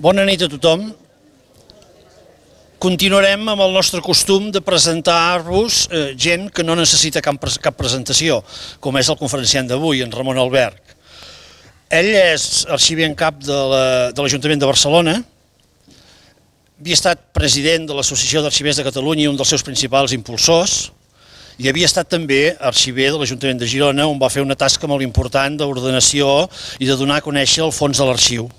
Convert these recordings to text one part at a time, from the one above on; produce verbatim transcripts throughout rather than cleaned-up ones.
Bona nit a tothom. Continuarem amb el nostre costum de presentar-vos gent que no necessita cap presentació, com és el conferenciant d'avui, en Ramon Alberch. Ell és arxiver en cap de l'Ajuntament de Barcelona, havia estat president de l'Associació d'Arxivers de Catalunya i un dels seus principals impulsors, i havia estat també arxiver de l'Ajuntament de Girona, on va fer una tasca molt important d'ordenació i de donar a conèixer el fons de l'arxiu.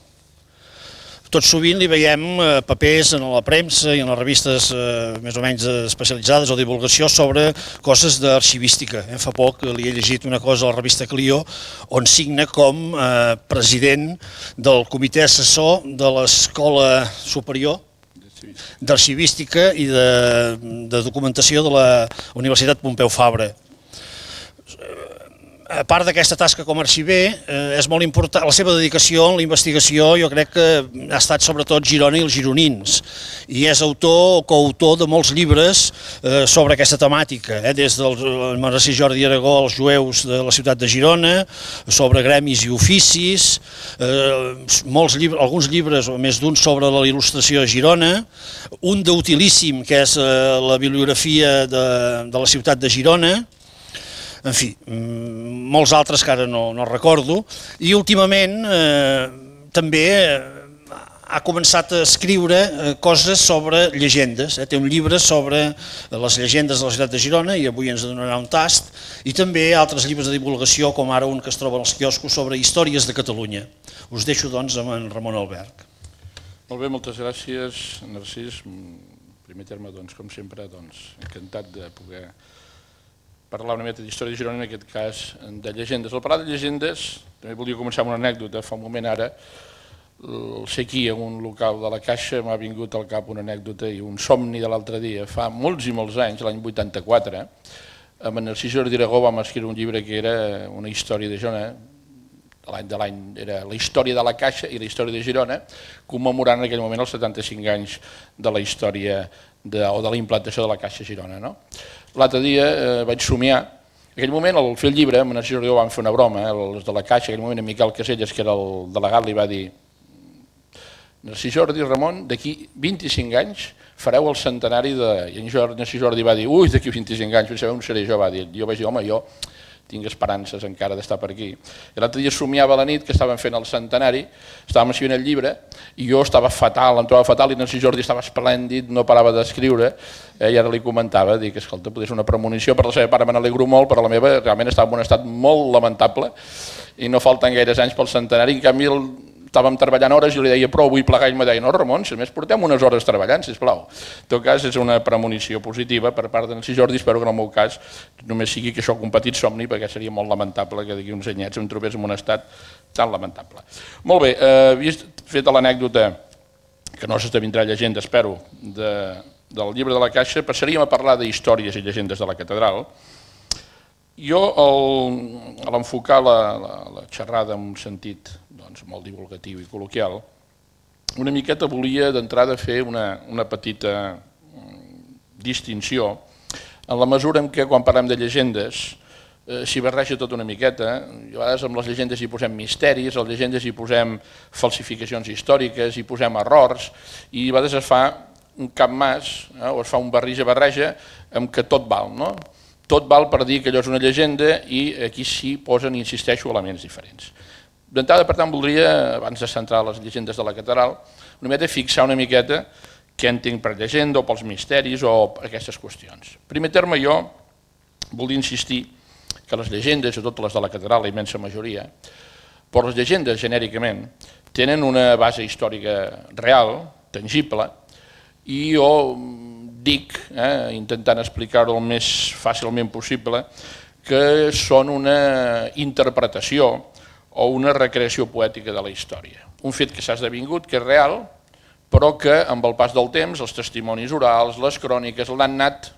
Tot sovint li veiem papers en la premsa i en les revistes més o menys especialitzades o divulgació sobre coses d'arxivística. Fa poc li he llegit una cosa a la revista Clio on signa com president del comitè assessor de l'Escola Superior d'Arxivística i de Documentació de la Universitat Pompeu Fabra. A part d'aquesta tasca com a arxiver, és molt important, la seva dedicació en la investigació jo crec que ha estat sobretot Girona i els gironins, i és autor o coautor de molts llibres sobre aquesta temàtica, des del Monestir Jordi Aragó als jueus de la ciutat de Girona, sobre gremis i oficis, alguns llibres, o més d'un, sobre la il·lustració a Girona, un d'utilíssim que és la bibliografia de la ciutat de Girona, en fi, molts altres que ara no recordo, i últimament també ha començat a escriure coses sobre llegendes. Té un llibre sobre les llegendes de la ciutat de Girona i avui ens donarà un tast, i també altres llibres de divulgació, com ara un que es troba als quioscos sobre històries de Catalunya. Us deixo doncs amb en Ramon Alberch. Molt bé, moltes gràcies, Narcís. En primer terme, com sempre, encantat de poder parlar una mica d'història de Girona, en aquest cas de llegendes. Al parlar de llegendes, també volia començar amb una anècdota. Fa un moment ara, al ser aquí en un local de la Caixa, m'ha vingut al cap una anècdota i un somni de l'altre dia. Fa molts i molts anys, l'any vuitanta-quatre, amb en Narcís Jordi Aragó vam escriure un llibre que era una història de Girona, l'any de l'any era la història de la Caixa i la història de Girona, commemorant en aquell moment els setanta-cinc anys de la història o de la implantació de la Caixa a Girona. L'altre dia vaig somiar, en aquell moment al fer el llibre, amb en Narcís Jordi Aragó vam fer una broma, els de la Caixa, en aquell moment en Miquel Caselles, que era el delegat, li va dir: Narcís Jordi, Ramon, d'aquí vint-i-cinc anys fareu el centenari de... I en Narcís Jordi va dir: ui, d'aquí vint-i-cinc anys, penseu, on seré jo? Va dir. Jo vaig dir: home, jo tinc esperances encara d'estar per aquí. I l'altre dia somiava a la nit que estàvem fent el centenari, estàvem escrivint el llibre, i jo estava fatal, em trobava fatal, i Narcís Jordi estava esplèndid, no parava d'escriure, i ara li comentava, dic, escolta, potser és una premonició, per la seva part me n'alegro molt, però la meva realment estava en un estat molt lamentable, i no falten gaires anys pel centenari, en canvi estàvem treballant hores i li deia prou, vull plegar, i em deia: no, Ramon, si més portem unes hores treballant, sisplau. En tot cas, és una premonició positiva per part de Narcís Jordi. Espero que en el meu cas només sigui que això un petit somni, perquè seria molt lamentable que d'aquí uns anyets em trobés en un estat tan lamentable. Molt bé, havia fet l'anècdota, que no s'esdevindrà llegenda, espero, del llibre de la Caixa. Passaríem a parlar d'històries i llegendes de la catedral. Jo, a l'enfocar la xerrada en un sentit molt divulgatiu i col·loquial, una miqueta volia d'entrada fer una petita distinció en la mesura en què quan parlem de llegendes s'hi barreja tot una miqueta. A vegades amb les llegendes hi posem misteris, a les llegendes hi posem falsificacions històriques, hi posem errors, i a vegades es fa un capmàs o es fa un barreja-barreja amb que tot val, no? Tot val per dir que allò és una llegenda, i aquí s'hi posen, insisteixo, elements diferents. D'entrada, per tant, voldria, abans de centrar les llegendes de la catedral, una miqueta fixar una miqueta què entenc per llegenda o pels misteris o per aquestes qüestions. En primer terme, jo volia insistir que les llegendes, sobretot les de la catedral, la immensa majoria, però les llegendes, genèricament, tenen una base històrica real, tangible, i jo dic, intentant explicar-ho el més fàcilment possible, que són una interpretació o una recreació poètica de la història. Un fet que s'ha esdevingut, que és real, però que amb el pas del temps, els testimonis orals, les cròniques, l'han anat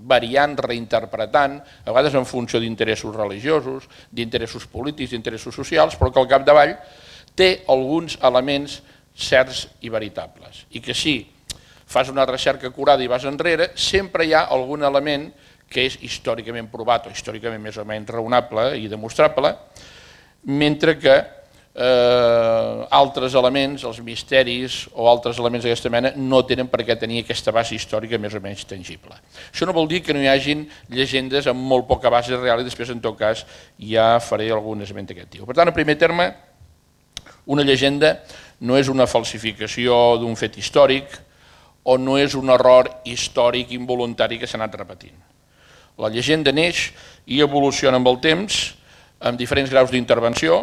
variant, reinterpretant, a vegades en funció d'interessos religiosos, d'interessos polítics, d'interessos socials, però que al capdavall té alguns elements certs i veritables. I que si fas una recerca acurada i vas enrere, sempre hi ha algun element que és històricament provat o històricament més o menys raonable i demostrable, mentre que eh, altres elements, els misteris o altres elements d'aquesta mena no tenen per què tenir aquesta base històrica més o menys tangible. Això no vol dir que no hi hagin llegendes amb molt poca base real i després en tot cas ja faré algun esment d'aquest tipus. Per tant, en primer terme, una llegenda no és una falsificació d'un fet històric o no és un error històric involuntari que s'ha anat repetint. La llegenda neix i evoluciona amb el temps amb diferents graus d'intervenció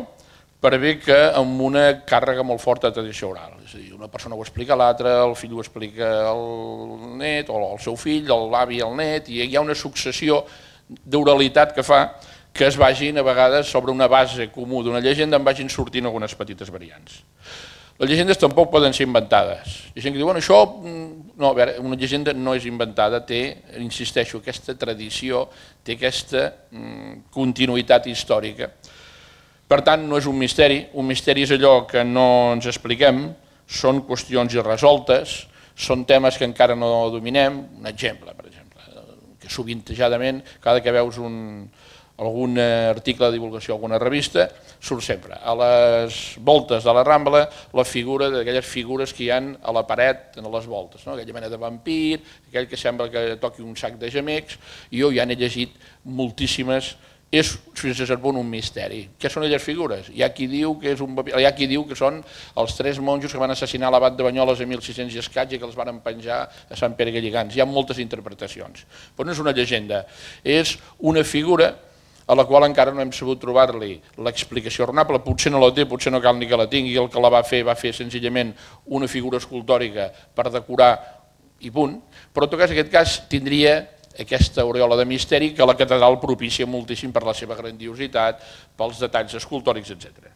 per bé que amb una càrrega molt forta de tradició oral. És a dir, una persona ho explica a l'altra, el fill ho explica al net, o el seu fill, l'avi al net, i hi ha una successió d'oralitat que fa que es vagin a vegades sobre una base comú d'una llegenda en vagin sortint algunes petites variants. Les llegendes tampoc poden ser inventades. Hi ha gent que diu, bueno, això... No, a veure, una llegenda no és inventada, té, insisteixo, aquesta tradició, té aquesta continuïtat històrica. Per tant, no és un misteri. Un misteri és allò que no ens expliquem, són qüestions irresoltes, són temes que encara no dominem. Un exemple, per exemple, que sovintejadament, cada que veus un... algun article de divulgació, alguna revista, surt sempre. A les voltes de la Rambla, la figura d'aquelles figures que hi ha a la paret, a les voltes, no? Aquella mena de vampir, aquell que sembla que toqui un sac de gemecs, i jo ja n'he llegit moltíssimes, és fins a cert punt un misteri. Què són aquelles figures? Hi ha qui diu que és un vampir, hi ha qui diu que són els tres monjos que van assassinar l'abat de Banyoles a mil sis-cents i escaig i que els van penjar a Sant Pere Galligants. Hi ha moltes interpretacions, però no és una llegenda, és una figura a la qual encara no hem sabut trobar-li l'explicació raonable, potser no la té, potser no cal ni que la tingui, el que la va fer va fer senzillament una figura escultòrica per decorar i punt, però en tot cas, en aquest cas tindria aquesta aureola de misteri que la catedral propicia moltíssim per la seva grandiositat, pels detalls escultòrics, etcètera.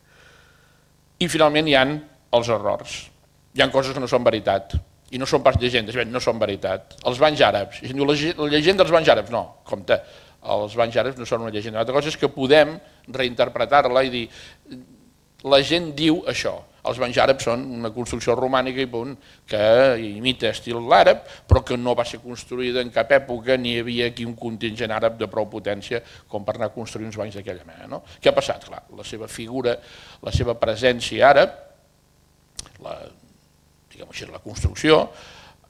I finalment hi ha els errors. Hi ha coses que no són veritat i no són pas llegendes, no són veritat. Els banys àrabs, la llegenda dels banys àrabs, no, compte, els banys àrabs no són una llegenda. L'altra cosa és que podem reinterpretar-la i dir la gent diu això. Els banys àrabs són una construcció romànica i punt, que imita estil àrab, però que no va ser construïda en cap època ni hi havia aquí un contingent àrab de prou potència com per anar a construir uns banys d'aquella mena. No? Què ha passat? Clar, la seva figura, la seva presència àrab, la, diguem així, la construcció,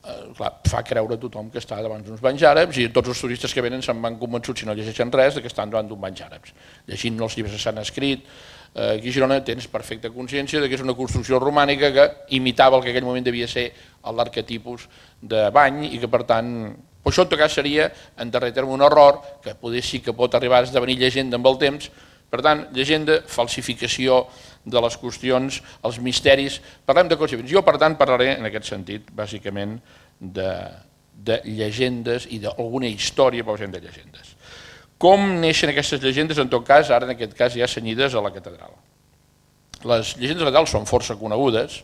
Clar, fa creure a tothom que està davant d'uns banys àrabs i tots els turistes que venen se'n van convençuts, si no llegeixen res, que estan davant d'un banys àrabs. Llegint els llibres que s'han escrit, aquí a Girona tens perfecta consciència que és una construcció romànica que imitava el que en aquell moment devia ser l'arquetipus de bany i que per tant, això en tot cas seria en darrer terme un error que potser sí que pot arribar a esdevenir llegenda amb el temps. Per tant, llegenda, falsificació de les qüestions, els misteris, parlem de coses diferents. Jo, per tant, parlaré en aquest sentit, bàsicament, de, de llegendes i d'alguna història, però de llegendes. Com neixen aquestes llegendes, en tot cas, ara en aquest cas ja cenyides a la catedral? Les llegendes de la catedral són força conegudes,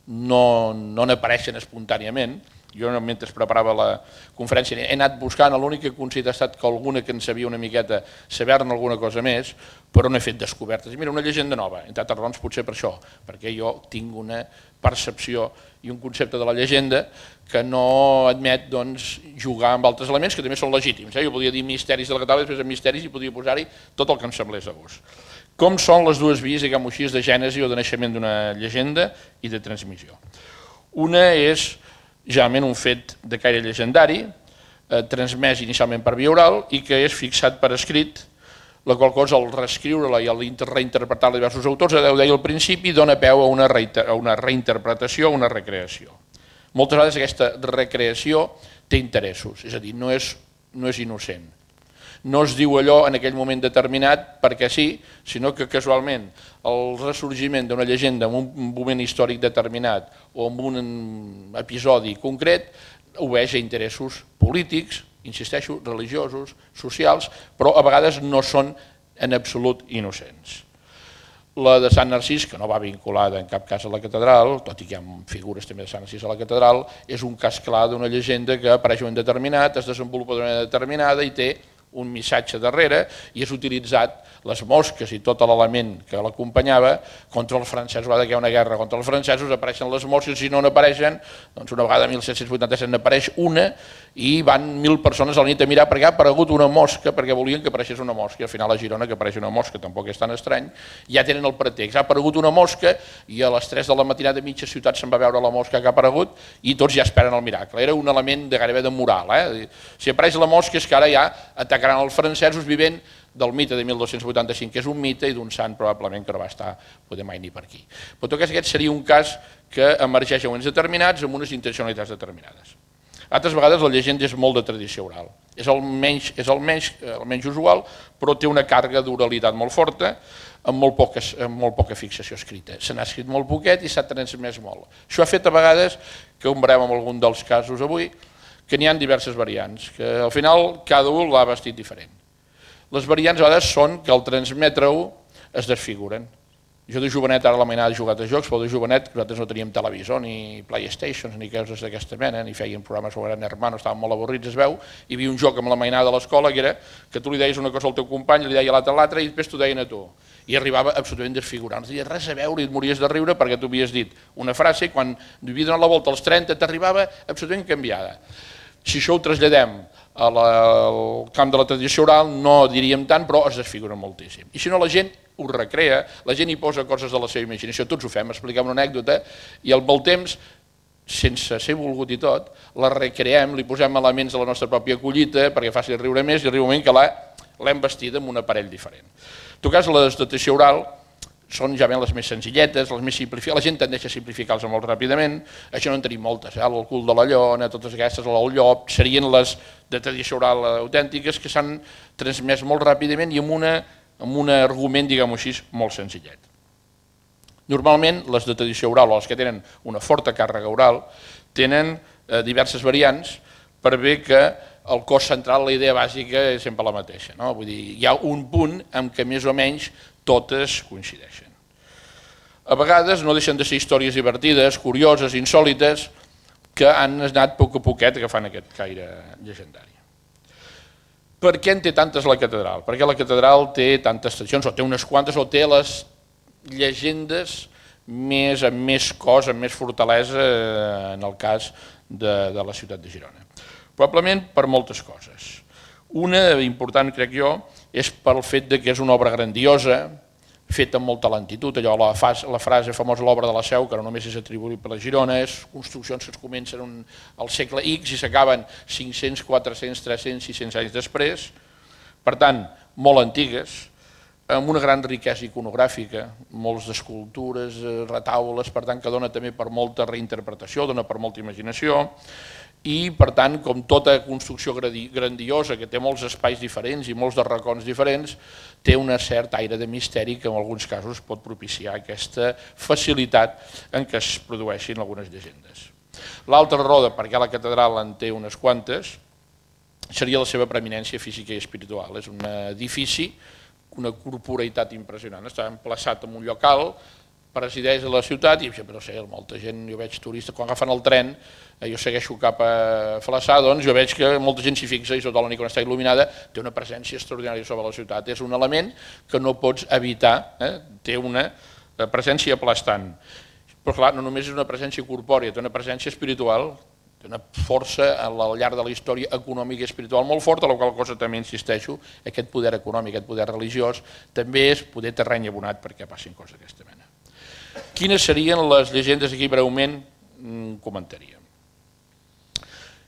no, no n'apareixen espontàniament. Jo, mentre preparava la conferència, he anat buscant, l'únic que he considerat ha estat que alguna que en sabia una miqueta, saber-ne alguna cosa més, però no he fet descobertes. Mira, una llegenda nova, entre altres raons potser per això, perquè jo tinc una percepció i un concepte de la llegenda que no admet doncs, jugar amb altres elements que també són legítims. Jo podia dir misteris de la catedral, després de misteris i podia posar-hi tot el que em semblés a gust. Com són les dues vies, diguem-ho així, de gènesi o de naixement d'una llegenda i de transmissió? Una és generalment un fet de caire llegendari, eh, transmès inicialment per via oral i que és fixat per escrit, la qual cosa al reescriure-la i al reinterpretar-la de diversos autors, ho deia al principi, dona peu a una, a una reinterpretació, a una recreació. Moltes vegades aquesta recreació té interessos, és a dir, no és, no és innocent. No es diu allò en aquell moment determinat perquè sí, sinó que casualment el ressorgiment d'una llegenda en un moment històric determinat o en un episodi concret obeeix a interessos polítics, insisteixo, religiosos, socials, però a vegades no són en absolut innocents. La de Sant Narcís, que no va vinculada en cap cas a la catedral, tot i que hi ha figures també de Sant Narcís a la catedral, és un cas clar d'una llegenda que apareix en un determinat, es desenvolupa d'una manera determinada i té un missatge darrere i és utilitzat les mosques i tot l'element que l'acompanyava contra els francesos. A vegades que hi ha una guerra contra els francesos, apareixen les mosques, si no n'apareixen, doncs una vegada mil set-cents vuitanta-set n'apareix una i van mil persones a la nit a mirar perquè ha aparegut una mosca, perquè volien que apareixés una mosca, i al final a Girona que apareix una mosca tampoc és tan estrany, ja tenen el pretext, ha aparegut una mosca i a les tres de la matinada mitja ciutat se'n va veure la mosca que ha aparegut i tots ja esperen el miracle. Era un element de gairebé de moral. Eh? Si apareix la mosca és que ara ja atacaran els francesos vivent del mite de mil dos-cents vuitanta-cinc, que és un mite i d'un sant probablement que no va estar poder mai ni per aquí. Però tot aquest seria un cas que emergeix en moments determinats amb unes intencionalitats determinades. Altres vegades la llegenda és molt de tradició oral. És el menys, és el menys, el menys usual, però té una càrrega d'oralitat molt forta, amb molt, poca, amb molt poca fixació escrita. Se n'ha escrit molt poquet i s'ha transmès molt. Això ha fet a vegades, que ho veurem en algun dels casos avui, que n'hi ha diverses variants, que al final cada un l'ha vestit diferent. Les variants a vegades són que al transmetre-ho es desfiguren. Jo de jovenet, ara la mainada he jugat a jocs, però de jovenet nosaltres no teníem televisor, ni Playstations, ni coses d'aquesta mena, ni feien programes sobre Gran Hermano, estàvem molt avorrits, es veu, hi havia un joc amb la mainada de l'escola que era que tu li deies una cosa al teu company, li deia l'altre a l'altre i després t'ho deien a tu. I arribava absolutament desfigurant, no tenies res a veure i et mories de riure perquè tu havies dit una frase i quan havia donat la volta als trenta t'arribava absolutament canviada. Si això ho traslladem al camp de la tradició oral no diríem tant, però es desfigura moltíssim. I si no la gent ho recrea, la gent hi posa coses de la seva imaginació, tots ho fem, expliquem una anècdota i al molt temps, sense ser volgut i tot, la recreem, li posem elements de la nostra pròpia collita perquè faci riure més i arriba un moment que l'hem vestida amb un aparell diferent. En tot cas, la tradició oral són ja ben les més senzilletes, les més simplificades, la gent tendeix a simplificar-les molt ràpidament, això no en tenim moltes, eh? El cul de la llona, totes aquestes, el llop, serien les de tradició oral autèntiques que s'han transmès molt ràpidament i amb, una, amb un argument, diguem-ho així, molt senzillet. Normalment, les de tradició oral, o les que tenen una forta càrrega oral, tenen eh, diverses variants per bé que el cos central, la idea bàsica és sempre la mateixa. No? Vull dir, hi ha un punt en què més o menys totes coincideixen. A vegades no deixen de ser històries divertides, curioses, insòlites, que han anat a poc a poquet agafant aquest caire llegendari. Per què en té tantes la catedral? Perquè la catedral té tantes tradicions, o té unes quantes, o té les llegendes més, amb més cos, amb més fortalesa en el cas de, de la ciutat de Girona. Probablement per moltes coses. Una important, crec jo, és pel fet que és una obra grandiosa, feta amb molta lentitud, allò, la, fas, la frase famosa, l'obra de la Seu, que no només és atribuïble a Girona, és construccions que es comencen un, al segle X i s'acaben cinc-cents, quatre-cents, tres-cents, sis-cents anys després, per tant, molt antigues, amb una gran riquesa iconogràfica, molts d'escultures, retaules, per tant, que dona també per molta reinterpretació, dona per molta imaginació, i, per tant, com tota construcció grandiosa, que té molts espais diferents i molts de racons diferents, té un cert aire de misteri que en alguns casos pot propiciar aquesta facilitat en què es produeixin algunes llegendes. L'altra raó de per què la catedral en té unes quantes seria la seva preeminència física i espiritual. És un edifici, una corporeïtat impressionant, està emplaçat en un lloc alt, presideix a la ciutat i però sé, molta gent, jo veig turistes, quan agafen el tren, jo segueixo cap a Flaçà, doncs jo veig que molta gent s'hi fixa i tota la nit quan està il·luminada té una presència extraordinària sobre la ciutat. És un element que no pots evitar, eh? Té una presència aplastant. Però clar, no només és una presència corpòrea, té una presència espiritual, té una força al llarg de la història econòmica i espiritual molt forta, a la qual cosa també insisteixo, aquest poder econòmic, aquest poder religiós, també és poder terreny abonat perquè passin coses d'aquesta mena. Quines serien les llegendes aquí breument comentaríem?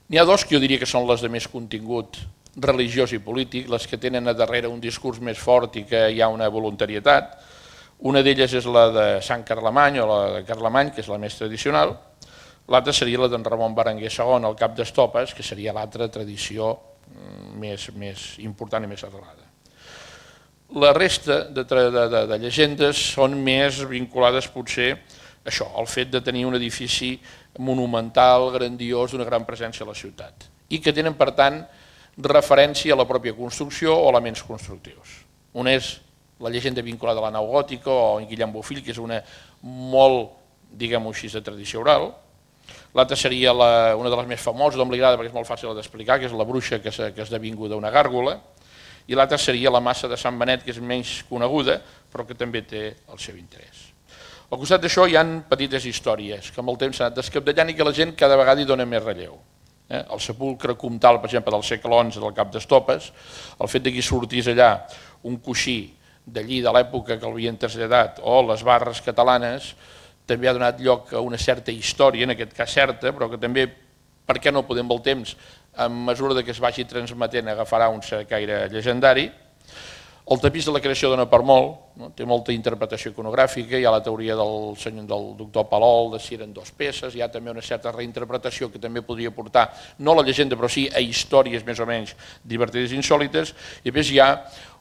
N'hi ha dos que jo diria que són les de més contingut religiós i polític, les que tenen a darrere un discurs més fort i que hi ha una voluntarietat. Una d'elles és la de Sant Carlemany o la de Carlemany, que és la més tradicional. L'altra seria la d'en Ramon Berenguer segon, el cap d'Estopes, que seria l'altra tradició més, més important i més arrelada. La resta de, de, de, de llegendes són més vinculades potser a això, al fet de tenir un edifici monumental, grandiós, d'una gran presència a la ciutat i que tenen, per tant, referència a la pròpia construcció o elements constructius. Una és la llegenda vinculada a la nau gòtica o en Guillem Bofill, que és una molt, diguem-ho així, de tradició oral. L'altra seria la, una de les més famoses, d'on li agrada perquè és molt fàcil d'explicar, que és la bruixa que, que ha esdevingut una gàrgola. i l'altra seria la Massa de Sant Benet, que és menys coneguda, però que també té el seu interès. Al costat d'això hi ha petites històries que amb el temps s'han anat descapdellant i que la gent cada vegada hi dona més relleu. El sepulcre comtal, per exemple, del segle onze del Cap d'Estopes, el fet que hi sortís allà un coixí d'allí de l'època que l'havien traslladat, o les barres catalanes, també ha donat lloc a una certa història, en aquest cas certa, però que també, per què no podem el temps, a mesura que es vagi transmetent agafarà un cert caire llegendari. El tapís de la creació dona per molt, té molta interpretació iconogràfica, hi ha la teoria del doctor Palol de si eren dues peces, hi ha també una certa reinterpretació que també podria portar, no a la llegenda, però sí a històries més o menys divertides i insòlites, i a més hi ha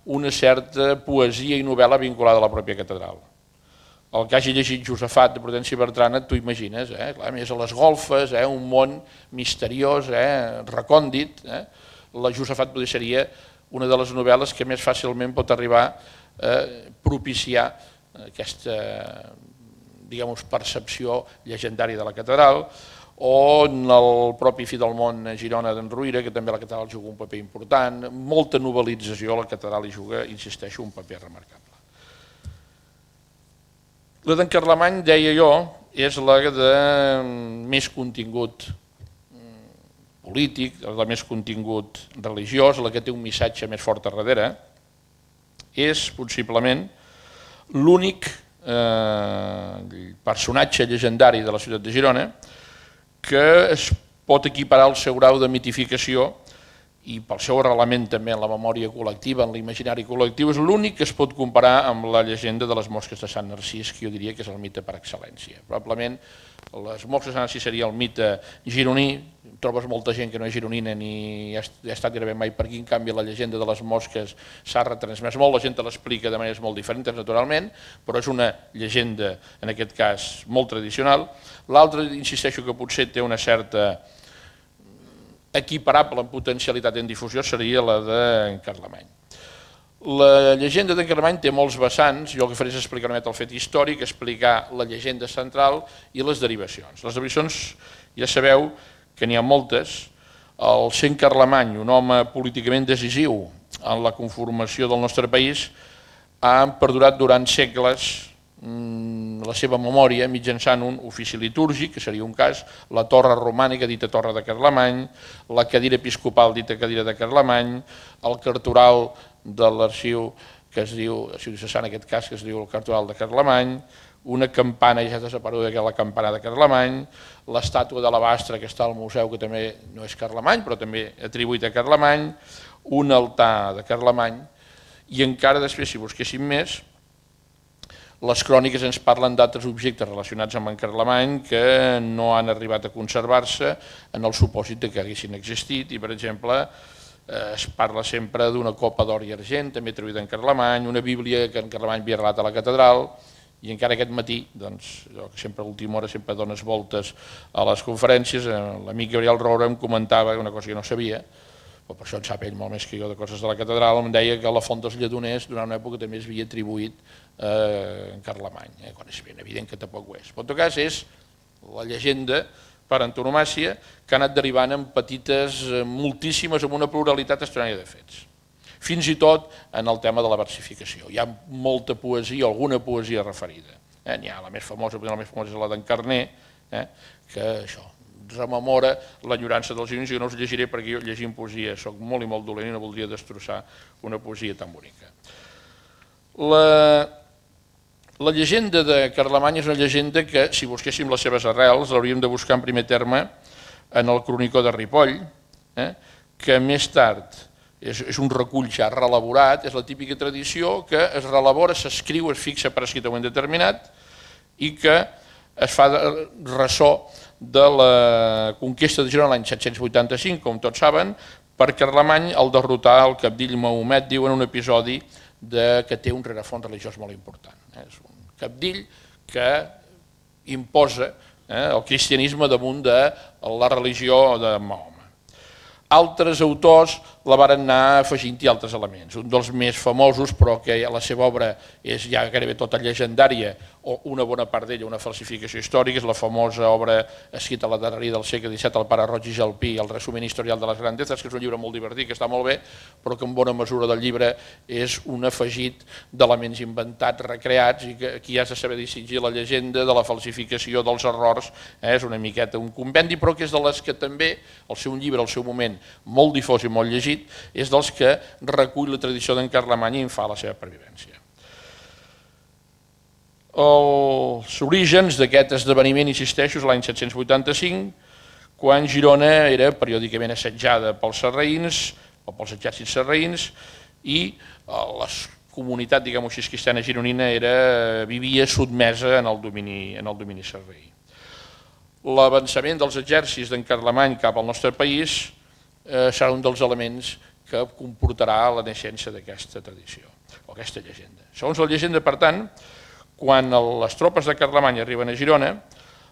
una certa poesia i novel·la vinculada a la pròpia catedral. El que hagi llegit Josafat de Prudenci Bertrana, t'ho imagines, a més a les golfes, un món misteriós, recòndit. La Josafat potser seria una de les novel·les que més fàcilment pot arribar a propiciar aquesta percepció llegendària de la catedral, o en el propi Fi del Món a Girona d'en Ruïra, que també la catedral juga un paper important. Molta novel·lització, la catedral hi juga, insisteixo, un paper remarcable. La d'en Carlemany, deia jo, és la de més contingut polític, la de més contingut religiós, la que té un missatge més fort a darrere. És, possiblement, l'únic personatge llegendari de la ciutat de Girona que es pot equiparar al seu grau de mitificació i pel seu arrelament també en la memòria col·lectiva, en l'imaginari col·lectiu, és l'únic que es pot comparar amb la llegenda de les mosques de Sant Narcís, que jo diria que és el mite per excel·lència. Probablement les mosques de Sant Narcís seria el mite gironí, trobes molta gent que no és gironina ni ha estat gairebé mai per aquí, en canvi la llegenda de les mosques s'ha retransmès molt, la gent te l'explica de maneres molt diferents naturalment, però és una llegenda, en aquest cas, molt tradicional. L'altra, insisteixo que potser té una certa equiparable en potencialitat en difusió, seria la d'en Carlemany. La llegenda d'en Carlemany té molts vessants, jo el que faré és explicar una mica el fet històric, explicar la llegenda central i les derivacions. Les derivacions ja sabeu que n'hi ha moltes. El sent Carlemany, un home políticament decisiu en la conformació del nostre país, ha perdurat durant segles la seva memòria mitjançant un ofici litúrgic, que seria un cas, la torre romànica dita torre de Carlemany, la cadira episcopal dita cadira de Carlemany, el cartoral de l'arxiu que es diu, l'arxiu diocesà en aquest cas, que es diu el cartoral de Carlemany, una campana, ja desapareguda, que és la campana de Carlemany, l'estàtua de l'Abastre que està al museu, que també no és Carlemany, però també atribuït a Carlemany, un altar de Carlemany, i encara després, si busquéssim més, les cròniques ens parlen d'altres objectes relacionats amb en Carlemany que no han arribat a conservar-se en el supòsit que haguessin existit, i per exemple es parla sempre d'una copa d'or i argent, també atribuïda en Carlemany, una bíblia que en Carlemany havia regalat a la catedral, i encara aquest matí, doncs, jo que sempre a l'última hora sempre dones voltes a les conferències, l'amic Gabriel Roura em comentava una cosa que no sabia, però per això en sap ell molt més que jo de coses de la catedral, em deia que la font dels Lledoners durant una època també es havia atribuït en Carlemany, quan és ben evident que tampoc ho és. En tot cas és la llegenda per antonomàcia que ha anat derivant en petites, moltíssimes, amb una pluralitat estranya de fets. Fins i tot en el tema de la versificació. Hi ha molta poesia, alguna poesia referida. N'hi ha la més famosa, la més famosa és la d'en Carner, que això rememora l'enyorança dels gironins, i no us llegiré perquè jo llegint poesia soc molt i molt dolent i no voldria destrossar una poesia tan bonica. La llegenda de Carlemany és una llegenda que, si busquéssim les seves arrels, l'hauríem de buscar en primer terme en el Cronicó de Ripoll, que més tard és un recull ja reelaborat, és la típica tradició que es reelabora, s'escriu, es fixa per escrit a un determinat i que es fa ressò de la conquesta de Girona l'any set-cents vuitanta-cinc, com tots saben, per Carlemany al derrotar el cabdill Mahomet, diuen un episodi que té un rerefons religiós molt important. És un cabdill que imposa el cristianisme damunt de la religió de Mahoma. Altres autors la varen anar afegint-hi altres elements. Un dels més famosos, però que la seva obra és ja gairebé tota llegendària, o una bona part d'ella una falsificació històrica, és la famosa obra escrita a la darreria del segle disset, el pare Roig i Jalpí, el resum historial de les grandezas, que és un llibre molt divertit, que està molt bé, però que en bona mesura del llibre és un afegit d'elements inventats, recreats, i que aquí has de saber distingir la llegenda de la falsificació dels errors, eh? És una miqueta un compendi, però que és de les que també, el seu llibre, al seu moment, molt difós i molt llegit, és dels que recull la tradició d'en Carlemany i en fa la seva pervivència. Els orígens d'aquest esdeveniment, insisteixo, és l'any set-cents vuitanta-cinc, quan Girona era periòdicament assetjada pels sarraïns o pels exèrcits sarraïns i la comunitat, diguem-ho així, cristiana gironina era, vivia sotmesa en el domini, en el domini sarraí. L'avançament dels exèrcits d'en Carlemany cap al nostre país eh, serà un dels elements que comportarà la naixença d'aquesta tradició, o aquesta llegenda. Segons la llegenda, per tant, quan les tropes de Carlemany arriben a Girona,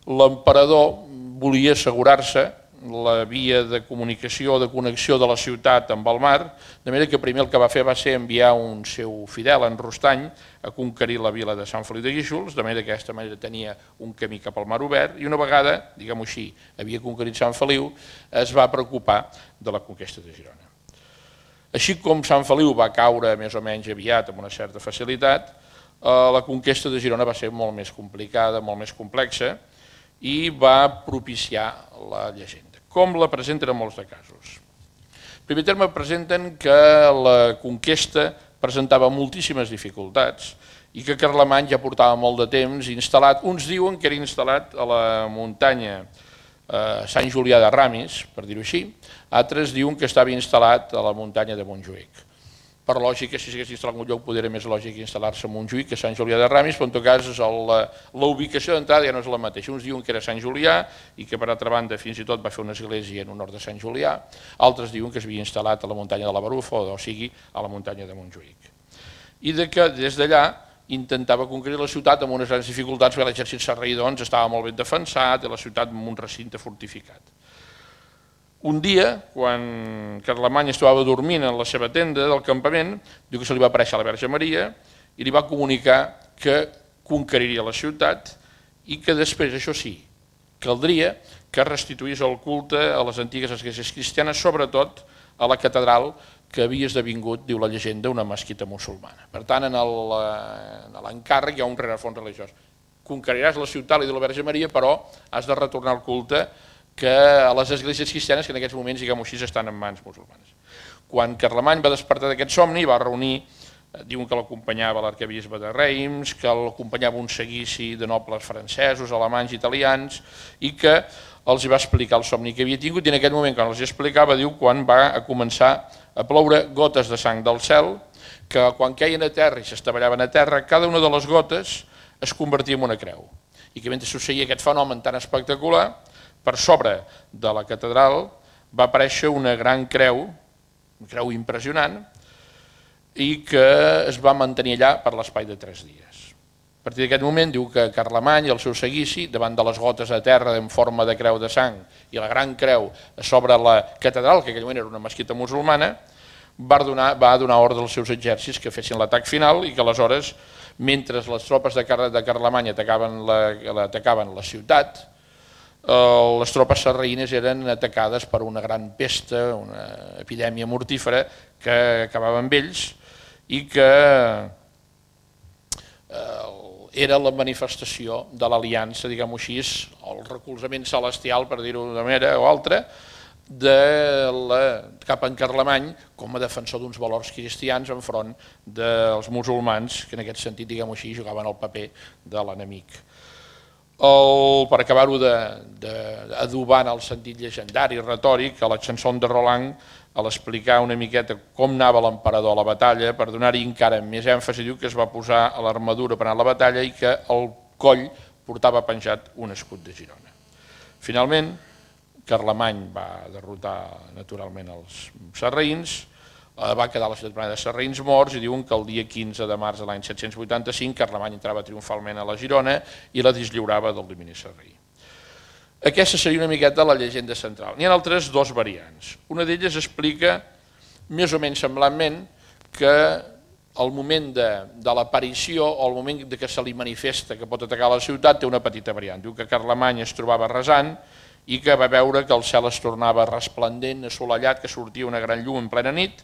l'emperador volia assegurar-se la via de comunicació o de connexió de la ciutat amb el mar, de manera que primer el que va fer va ser enviar un seu fidel, en Rostany, a conquerir la vila de Sant Feliu de Guíxols, de manera que d'aquesta manera tenia un camí cap al mar obert, i una vegada, diguem-ho així, havia conquerit Sant Feliu, es va preocupar de la conquesta de Girona. Així com Sant Feliu va caure més o menys aviat amb una certa facilitat, la conquesta de Girona va ser molt més complicada, molt més complexa, i va propiciar la llegenda, com la presenten en molts de casos. En primer terme, presenten que la conquesta presentava moltíssimes dificultats i que Carlemany ja portava molt de temps instal·lat. Uns diuen que era instal·lat a la muntanya Sant Julià de Ramis, per dir-ho així, altres diuen que estava instal·lat a la muntanya de Montjuïc. Per lògica, si s'hagués instal·lat en un lloc, podria més lògic instal·lar-se a Montjuïc que a Sant Julià de Ramis, però en tot cas la ubicació d'entrada ja no és la mateixa. Uns diuen que era Sant Julià i que per altra banda fins i tot va fer una església en honor de Sant Julià, altres diuen que s'havia instal·lat a la muntanya de la Barufa, o sigui a la muntanya de Montjuïc. I que des d'allà intentava conquerir la ciutat amb unes grans dificultats, perquè l'exèrcit sarraí doncs, estava molt ben defensat i la ciutat amb un recinte fortificat. Un dia, quan Carlemany estava dormint en la seva tenda del campament, diu que se li va aparèixer a la Verge Maria i li va comunicar que conqueriria la ciutat i que després, això sí, caldria que restituís el culte a les antigues esglésies cristianes, sobretot a la catedral que havia esdevingut, diu la llegenda, una mesquita musulmana. Per tant, en l'encàrrec hi ha un rerefons religiós. Conqueriràs la ciutat, li diu la Verge Maria, però has de retornar el culte que a les esglésies cristianes que en aquests moments, diguem-ho així, estan en mans musulmanes. Quan Carlemany va despertar d'aquest somni, va reunir, diuen que l'acompanyava l'arquebisbe de Reims, que l'acompanyava un seguici de nobles francesos, alemanys, italians, i que els va explicar el somni que havia tingut, i en aquest moment, quan els explicava, diu, quan va començar a ploure gotes de sang del cel, que quan queien a terra i s'estavellaven a terra, cada una de les gotes es convertia en una creu. I que mentre succeïa aquest fenomen tan espectacular, per sobre de la catedral va aparèixer una gran creu, una creu impressionant, i que es va mantenir allà per l'espai de tres dies. A partir d'aquest moment diu que Carlemany i el seu seguici, davant de les gotes de terra en forma de creu de sang i la gran creu sobre la catedral, que en aquell moment era una mesquita musulmana, va donar, va donar ordre als seus exèrcits que fessin l'atac final i que aleshores, mentre les tropes de Carlemany atacaven la, atacaven la ciutat, les tropes sarraïnes eren atacades per una gran pesta, una epidèmia mortífera que acabava amb ells i que era la manifestació de l'aliança, diguem-ho així, el recolzament celestial, per dir-ho d'una manera o altra, de la, cap en Carlemany com a defensor d'uns valors cristians enfront dels musulmans, que en aquest sentit, diguem-ho així, jugaven el paper de l'enemic. El, per acabar-ho d'adobar en el sentit llegendari i retòric, a la chanson de Roland, a l'explicar una miqueta com anava l'emperador a la batalla, per donar-hi encara més èmfasi, diu que es va posar a l'armadura per anar a la batalla i que al coll portava penjat un escut de Girona. Finalment, Carlemany va derrotar naturalment els sarraïns, va quedar la ciutat plena de sarraïns morts i diuen que el dia quinze de març de l'any set-cents vuitanta-cinc Carlemany entrava triomfalment a la Girona i la deslliurava del domini sarraí. Aquesta seria una miqueta la llegenda central. N'hi ha altres dos variants. Una d'elles explica més o menys semblantment que al moment de, de l'aparició o al moment de que se li manifesta que pot atacar la ciutat té una petita variant. Diu que Carlemany es trobava resant i que va veure que el cel es tornava resplendent, assolellat, que sortia una gran llum en plena nit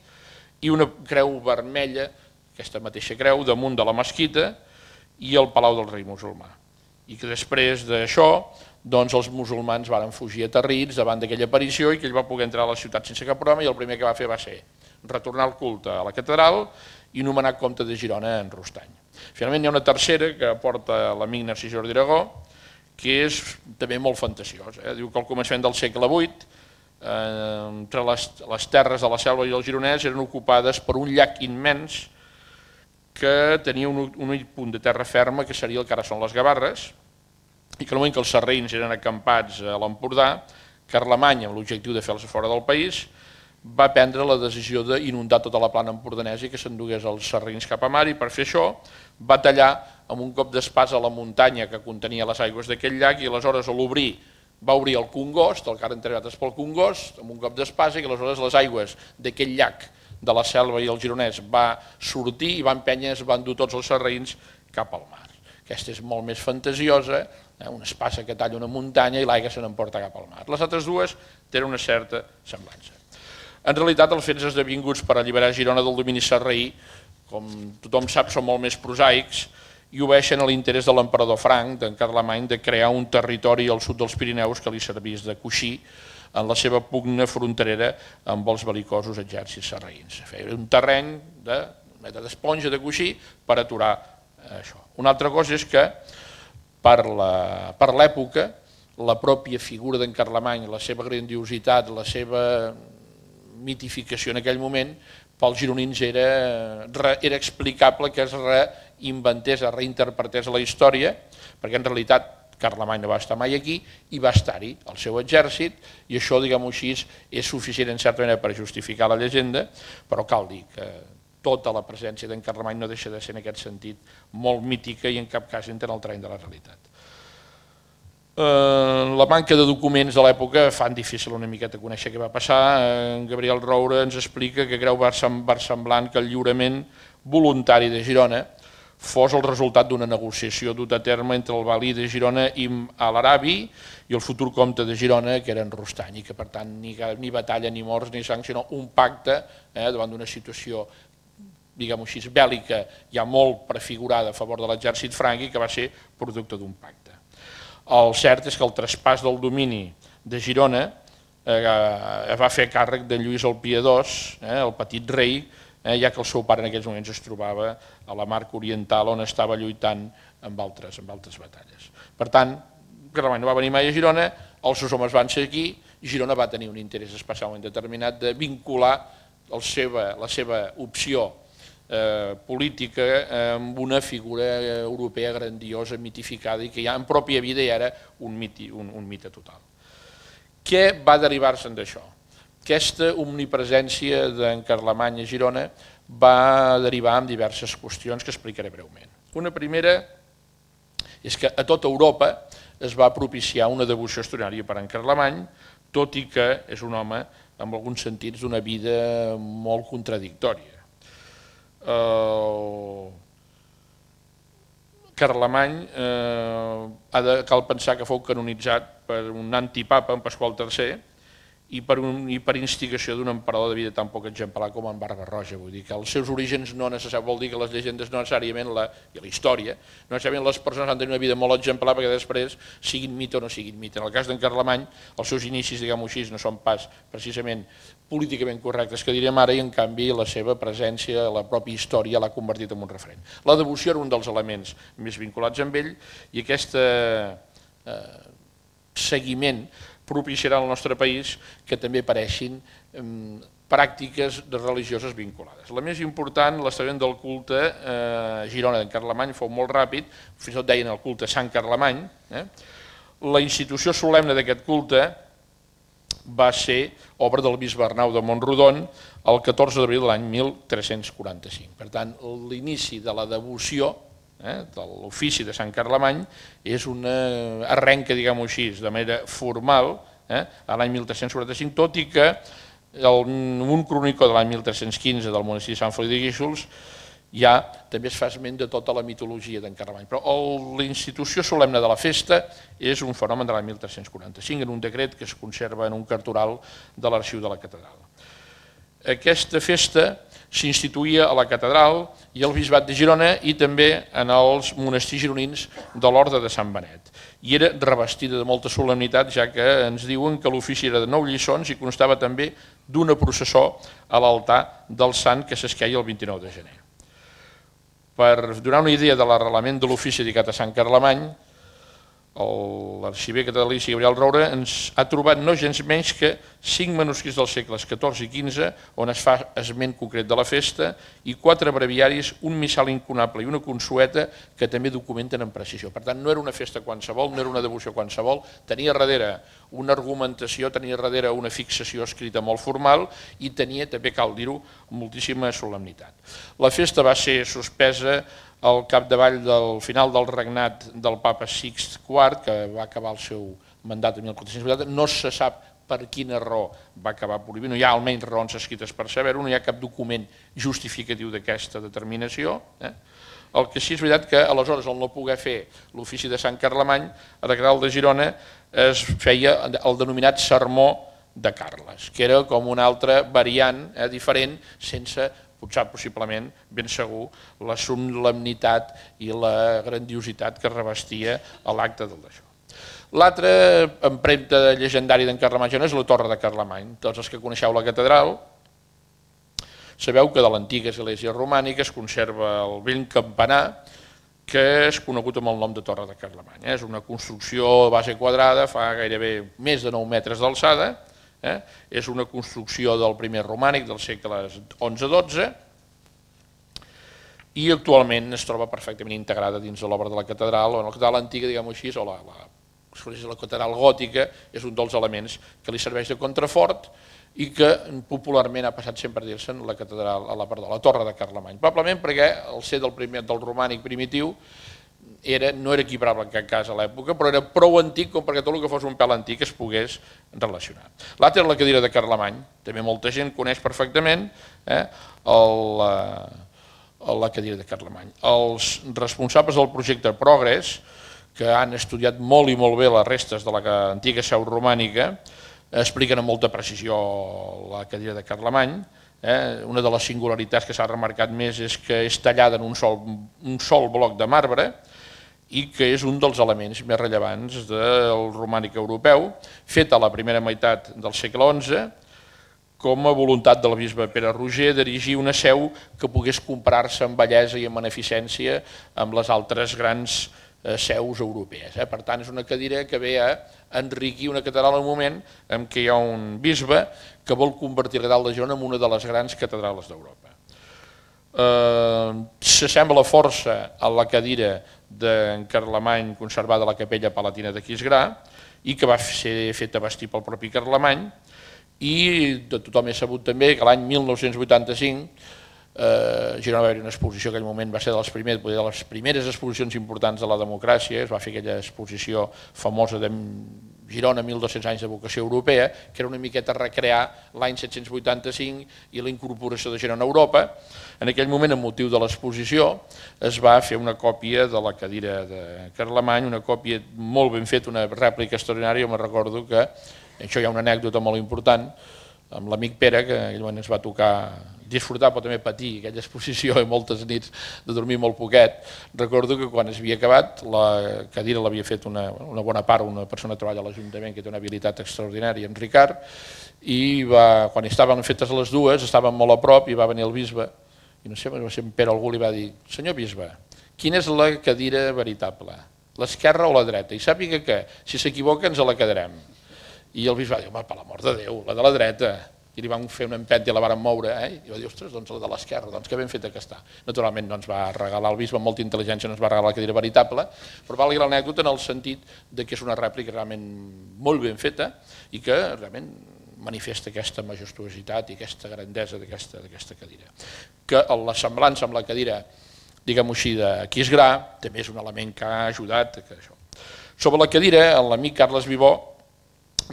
i una creu vermella, aquesta mateixa creu, damunt de la mesquita i el palau del rei musulmà. I que després d'això doncs els musulmans van fugir aterrits davant d'aquella aparició i que ell va poder entrar a la ciutat sense cap problema i el primer que va fer va ser retornar el culte a la catedral i nomenar comte de Girona en Rostany. Finalment hi ha una tercera que aporta l'amic Narcís Jordi Aragó, que és també molt fantasiós. Eh? Diu que al començament del segle vuit, eh, entre les, les terres de la Selva i el Gironès eren ocupades per un llac immens que tenia un, un únic punt de terra ferma, que seria el que ara són les Gavarres, i que al moment que els sarraïns eren acampats a l'Empordà, Carlemany, amb l'objectiu de fer-los fora del país, va prendre la decisió d'inundar tota la plana empordanesa i que s'endugués els sarraïns cap a mar, i per fer això va tallar amb un cop d'espasa la muntanya que contenia les aigües d'aquell llac i aleshores a l'obrir va obrir el Congost, el que ara entregat és pel Congost, amb un cop d'espasa, i aleshores les aigües d'aquell llac de la Selva i el Gironès va sortir i van empènyer, es van dur tots els sarraïns cap al mar. Aquesta és molt més fantasiosa, eh? Una espasa que talla una muntanya i l'aigua se n'emporta cap al mar. Les altres dues tenen una certa semblança. En realitat, els fets esdevinguts per alliberar Girona del domini sarraí, com tothom sap, són molt més prosaics i obeeixen a l'interès de l'emperador Franc, d'en Carlemany, de crear un territori al sud dels Pirineus que li servís de coixí en la seva pugna fronterera amb els bel·licosos exèrcits sarraïns. Feia un terreny d'esponja de coixí per aturar això. Una altra cosa és que per l'època la pròpia figura d'en Carlemany, la seva grandiositat, la seva mitificació en aquell moment, pels gironins era, era explicable que es reinventés, es reinterpretés la història, perquè en realitat Carlemany no va estar mai aquí i va estar-hi el seu exèrcit, i això, diguem-ho així, és suficient en certa manera per justificar la llegenda, però cal dir que tota la presència d'en Carlemany no deixa de ser en aquest sentit molt mítica i en cap cas entra en el terreny de la realitat. La manca de documents de l'època fan difícil una miqueta conèixer què va passar. En Gabriel Roure ens explica que creu versemblant que el lliurament voluntari de Girona fos el resultat d'una negociació duta a terme entre el valí de Girona i l'Arabi i el futur comte de Girona, que era en Rostany, i que per tant ni batalla, ni morts, ni sang, sinó un pacte davant d'una situació, diguem-ho així, bèl·lica, ja molt prefigurada a favor de l'exèrcit franc i que va ser producte d'un pacte. El cert és que el traspàs del domini de Girona va fer càrrec de Lluís el Piadós, el petit rei, ja que el seu pare en aquells moments es trobava a la Marca Oriental on estava lluitant amb altres batalles. Per tant, Carlemany no va venir mai a Girona, els seus homes van ser aquí, i Girona va tenir un interès especialment determinat de vincular la seva opció política amb una figura europea grandiosa, mitificada i que ja en pròpia vida ja era un mite total. Què va derivar-se'n d'això? Aquesta omnipresència d'en Carlemany a Girona va derivar en diverses qüestions que explicaré breument. Una primera és que a tota Europa es va propiciar una devoció extraordinària per en Carlemany, tot i que és un home, en alguns sentits, d'una vida molt contradictòria. Carlemany cal pensar que fou canonitzat per un antipapa, en Pasqual tercer, i per instigació d'un emperador de vida tan poc exemplar com en Barba-roja. Vull dir que els seus orígens no necessàriament, vol dir que les llegendes no necessàriament, i la història, no necessàriament les persones han de tenir una vida molt exemplar perquè després siguin mite o no siguin mite. En el cas d'en Carlemany, els seus inicis, diguem-ho així, no són pas precisament políticament correctes que direm ara, i en canvi la seva presència, la pròpia història l'ha convertit en un referent. La devoció era un dels elements més vinculats amb ell, i aquest seguiment propiciarà al nostre país que també apareixin pràctiques religioses vinculades. La més important, l'establiment del culte a Girona d'en Carlemany fou molt ràpid, fins i tot deien el culte Sant Carlemany. La institució solemne d'aquest culte va ser obra del bisbe Arnau de Montrodon el catorze d'abril de l'any mil tres-cents quaranta-cinc. Per tant, l'inici de la devoció de l'ofici de Sant Carlemany és una arrenca, diguem-ho així, de manera formal a l'any mil tres-cents quaranta-cinc, tot i que un cronicó de l'any mil tres-cents quinze del monestir de Sant Feliu de Guíxols ja també es fa esment de tota la mitologia d'en Carlemany. Però la institució solemne de la festa és un fenomen de l'any mil tres-cents quaranta-cinc en un decret que es conserva en un cartoral de l'arxiu de la catedral. Aquesta festa s'instituïa a la catedral i al bisbat de Girona i també en els monestirs gironins de l'Orde de Sant Benet. I era revestida de molta solemnitat, ja que ens diuen que l'ofici era de nou lliçons i constava també d'una processó a l'altar del sant que s'esqueia el vint-i-nou de gener. Per donar una idea de l'arrelament de l'ofici dedicat a Sant Carlemany, l'arxiver catalícia Gabriel Roure ens ha trobat no gens menys que cinc manuscrits dels segles catorze i quinze on es fa esment concret de la festa i quatre breviaris, un missal incunable i una consueta que també documenten amb precisió. Per tant, no era una festa qualsevol, no era una devoció qualsevol, tenia darrere una argumentació, tenia darrere una fixació escrita molt formal i tenia, també cal dir-ho, moltíssima solemnitat. La festa va ser suspesa al capdavall del final del regnat del papa Sixt quart, que va acabar el seu mandat en mil quatre-cents vuitanta, no se sap per quina raó va acabar prohibint, no hi ha almenys raons escrites per saber-ho, no hi ha cap document justificatiu d'aquesta determinació. El que sí és veritat que aleshores, al no poder fer l'ofici de Sant Carlemany, a la catedral de Girona es feia el denominat sermó de Carles, que era com una altra variant diferent, sense potser possiblement, ben segur, la solemnitat i la grandiositat que revestia l'acte del d'això. L'altra empremta llegendària d'en Carlemany és la Torre de Carlemany. Tots els que coneixeu la catedral sabeu que de l'antiga església romànica es conserva el vell campanar que és conegut amb el nom de Torre de Carlemany. És una construcció de base quadrada, fa gairebé més de nou metres d'alçada. És una construcció del primer romànic del segle onze dotze i actualment es troba perfectament integrada dins de l'obra de la catedral, o en la catedral antiga, diguem-ho així, o la, la, la catedral gòtica, és un dels elements que li serveix de contrafort i que popularment ha passat sempre a dir-se'n la catedral, a la, perdó, la Torre de Carlemany. Probablement perquè el ser del, primer, del romànic primitiu Era, no era equiparable en cap cas a l'època, però era prou antic com perquè tot el que fos un pèl antic es pogués relacionar. L'altra era la cadira de Carlemany, també molta gent coneix perfectament eh, el, la cadira de Carlemany. Els responsables del projecte Progress, que han estudiat molt i molt bé les restes de l'antiga seu romànica, expliquen amb molta precisió la cadira de Carlemany. Eh, una de les singularitats que s'ha remarcat més és que és tallada en un sol, un sol bloc de marbre, i que és un dels elements més rellevants del romànic europeu, fet a la primera meitat del segle onze, com a voluntat del bisbe Pere Roger d'erigir una seu que pogués comparar-se en bellesa i en beneficència amb les altres grans seus europees. Per tant, és una cadira que ve a enriquir una catedral en un moment en què hi ha un bisbe que vol convertir la catedral de Girona en una de les grans catedrals d'Europa. S'assembla força a la cadira d'en Carlemany conservada a la capella palatina d'Aquisgrà i que va ser feta vestir pel propi Carlemany, i de tothom és sabut també que l'any mil nou-cents vuitanta-cinc a Girona va haver una exposició, en aquell moment va ser de les primeres, de les primeres exposicions importants de la democràcia, es va fer aquella exposició famosa de Girona, mil dos-cents anys de vocació europea, que era una miqueta recrear l'any set-cents vuitanta-cinc i la incorporació de Girona a Europa. En aquell moment, amb motiu de l'exposició, es va fer una còpia de la cadira de Carlemany, una còpia molt ben feta, una rèplica extraordinària. Jo me'n recordo que, això hi ha una anècdota molt important, amb l'amic Pere, que en aquell moment ens va tocar disfrutar, però també patir aquella exposició i moltes nits de dormir molt poquet. Recordo que quan es havia acabat, la cadira l'havia fet una, una bona part, una persona que treballa a l'Ajuntament que té una habilitat extraordinària, en Ricard, i va, quan estaven fetes les dues, estaven molt a prop i va venir el bisbe, i no sé, va ser en Pere algú li va dir: senyor bisbe, quina és la cadira veritable, l'esquerra o la dreta? I sàpiga que, si s'equivoca, ens la quedarem. I el bisbe va dir: home, per l'amor de Déu, la de la dreta. I li vam fer una empenta i la vàrem moure, eh? I va dir: ostres, doncs la de l'esquerra, doncs que ben feta que està. Naturalment no ens va regalar el bisbe, amb molta intel·ligència no ens va regalar la cadira veritable, però valgui l'anècdota en el sentit que és una rèplica realment molt ben feta i que realment manifesta aquesta majestuositat i aquesta grandesa d'aquesta cadira. Que la semblança amb la cadira, diguem-ho així, d'Aquisgrà, també és un element que ha ajudat a això. Sobre la cadira, l'amic Carles Vivó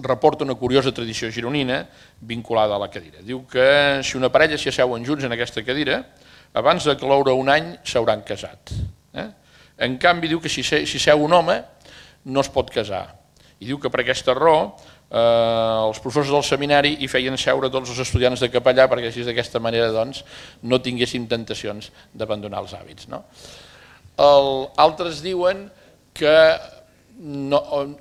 reporta una curiosa tradició gironina vinculada a la cadira. Diu que si una parella s'hi asseuen junts en aquesta cadira, abans de cloure un any s'hauran casat. Eh? En canvi, diu que si seu un home no es pot casar. I diu que per aquesta raó eh, els professors del seminari hi feien seure tots els estudiants de capellà perquè així d'aquesta manera doncs, no tinguéssim tentacions d'abandonar els hàbits. No? El, altres diuen que No,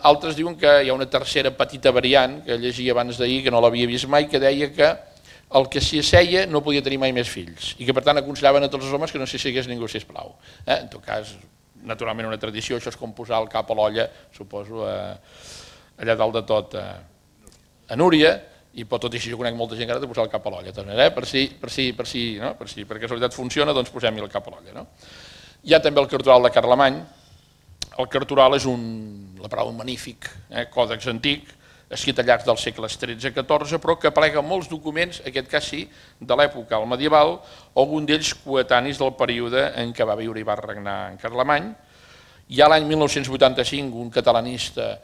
altres diuen que hi ha una tercera petita variant que llegia abans d'ahir, que no l'havia vist mai, que deia que el que s'hi asseia no podia tenir mai més fills i que per tant aconsellaven a tots els homes que no s'hi assegués ningú, sisplau. Eh? En tot cas, naturalment una tradició, això és com posar el cap a l'olla, suposo, eh, allà dalt de tot eh, a Núria, i pot tot i així jo conec molta gent que ara de posar el cap a l'olla, eh? per si, per si, per si, no? per si, per casualitat funciona, doncs posem-hi el cap a l'olla. No? Hi ha també el cartoral de Carlemany. El cartoral és un, la paraula magnífic, eh, còdex antic, escrit al llarg dels segles tretze a catorze, però que aplega molts documents, en aquest cas sí, de l'època medieval, algun d'ells coetanis del període en què va viure i va regnar en Carlemany. Ja l'any mil nou-cents vuitanta-cinc un catalanista,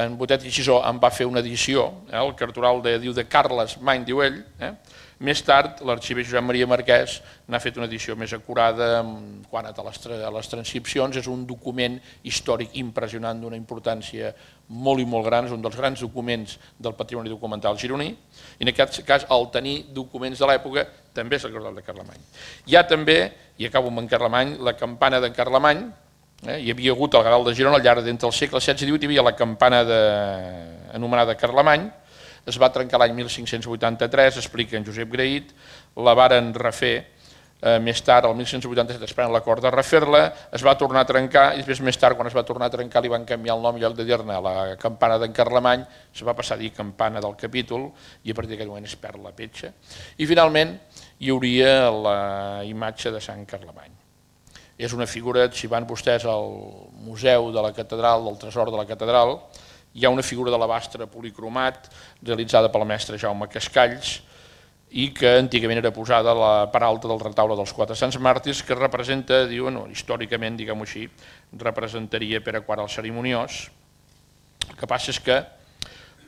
en Botet i Xisó, en va fer una edició, eh, el cartoral de, diu de Carles Many, diu ell. Eh? Més tard, l'arxiver Josep Maria Marquès n'ha fet una edició més acurada quant a les, a les transcripcions. És un document històric impressionant d'una importància molt i molt gran, és un dels grans documents del patrimoni documental gironí, i en aquest cas, al tenir documents de l'època, també és el cartoral de Carlemany. Hi ha també, i acabo amb en Carlemany, la campana d'en Carlemany. Eh? Hi havia hagut al Gral de Girona, al llarg d'entre els segles setze i divuit, hi havia la campana de, anomenada Carlemany. Es va trencar l'any mil cinc-cents vuitanta-tres, explica en Josep Grahit, la varen refer eh, més tard, el mil cinc-cents vuitanta-set, esperant l'acord de refer-la, es va tornar a trencar i després més tard, quan es va tornar a trencar, li van canviar el nom i en lloc de dir-ne la campana d'en Carlemany, es va passar a dir campana del capítol i a partir d'aquest moment es perd la petja. I finalment hi hauria la imatge de Sant Carlemany. És una figura, si van vostès al Museu de la Catedral, del Tresor de la Catedral, hi ha una figura de l'alabastre policromat realitzada pel mestre Jaume Cascalls i que antigament era posada a la part alta del retaule dels Quatre Sants Màrtirs, que representa, diuen, no, històricament, diguem-ho així, representaria Pere quart el Cerimoniós. El que passa és que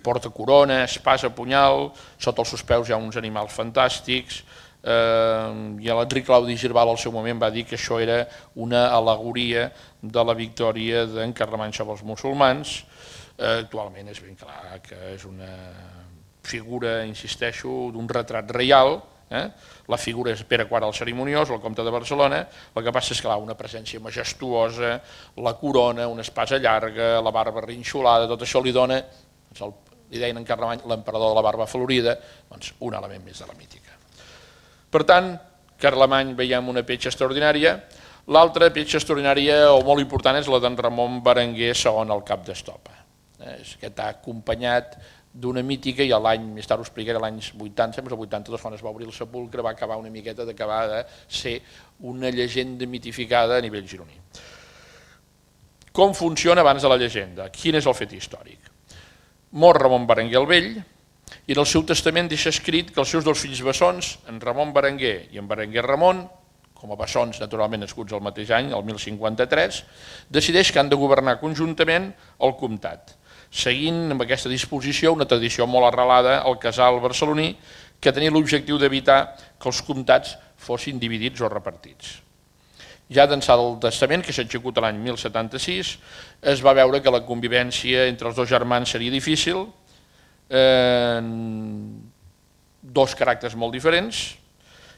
porta corona, espasa, punyal, sota els seus peus hi ha uns animals fantàstics, eh, i l'Enric Claudi Girbal al seu moment va dir que això era una al·legoria de la victòria d'en Carlemany sobre els musulmans. Actualment és ben clar que és una figura, insisteixo, d'un retrat reial. Eh? La figura és Pere quart el Cerimoniós, el comte de Barcelona. El que passa és que hi ha una presència majestuosa, la corona, una espasa llarga, la barba rinxolada, tot això li dona, li deien en Carlemany, l'emperador de la barba florida, doncs un element més de la mítica. Per tant, Carlemany veiem una petja extraordinària. L'altra petja extraordinària o molt important és la d'en Ramon Berenguer segon el cap d'Estopa. Que està acompanyat d'una mítica, i l'any, més tard ho explicaré, l'any vuitanta, el vuitanta-dos, quan es va obrir el sepulcre, va acabar una miqueta d'acabar de ser una llegenda mitificada a nivell gironí. Com funciona abans de la llegenda? Quin és el fet històric? Mor Ramon Berenguer el Vell, i en el seu testament deixa escrit que els seus dos fills bessons, en Ramon Berenguer i en Berenguer Ramon, com a bessons naturalment nascuts el mateix any, el mil cinquanta-tres, decideix que han de governar conjuntament el comtat, seguint amb aquesta disposició una tradició molt arrelada al casal barceloní que tenia l'objectiu d'evitar que els comtats fossin dividits o repartits. Ja d'ençà del testament, que s'executa l'any mil setanta-sis, es va veure que la convivència entre els dos germans seria difícil, eh, dos caràcters molt diferents.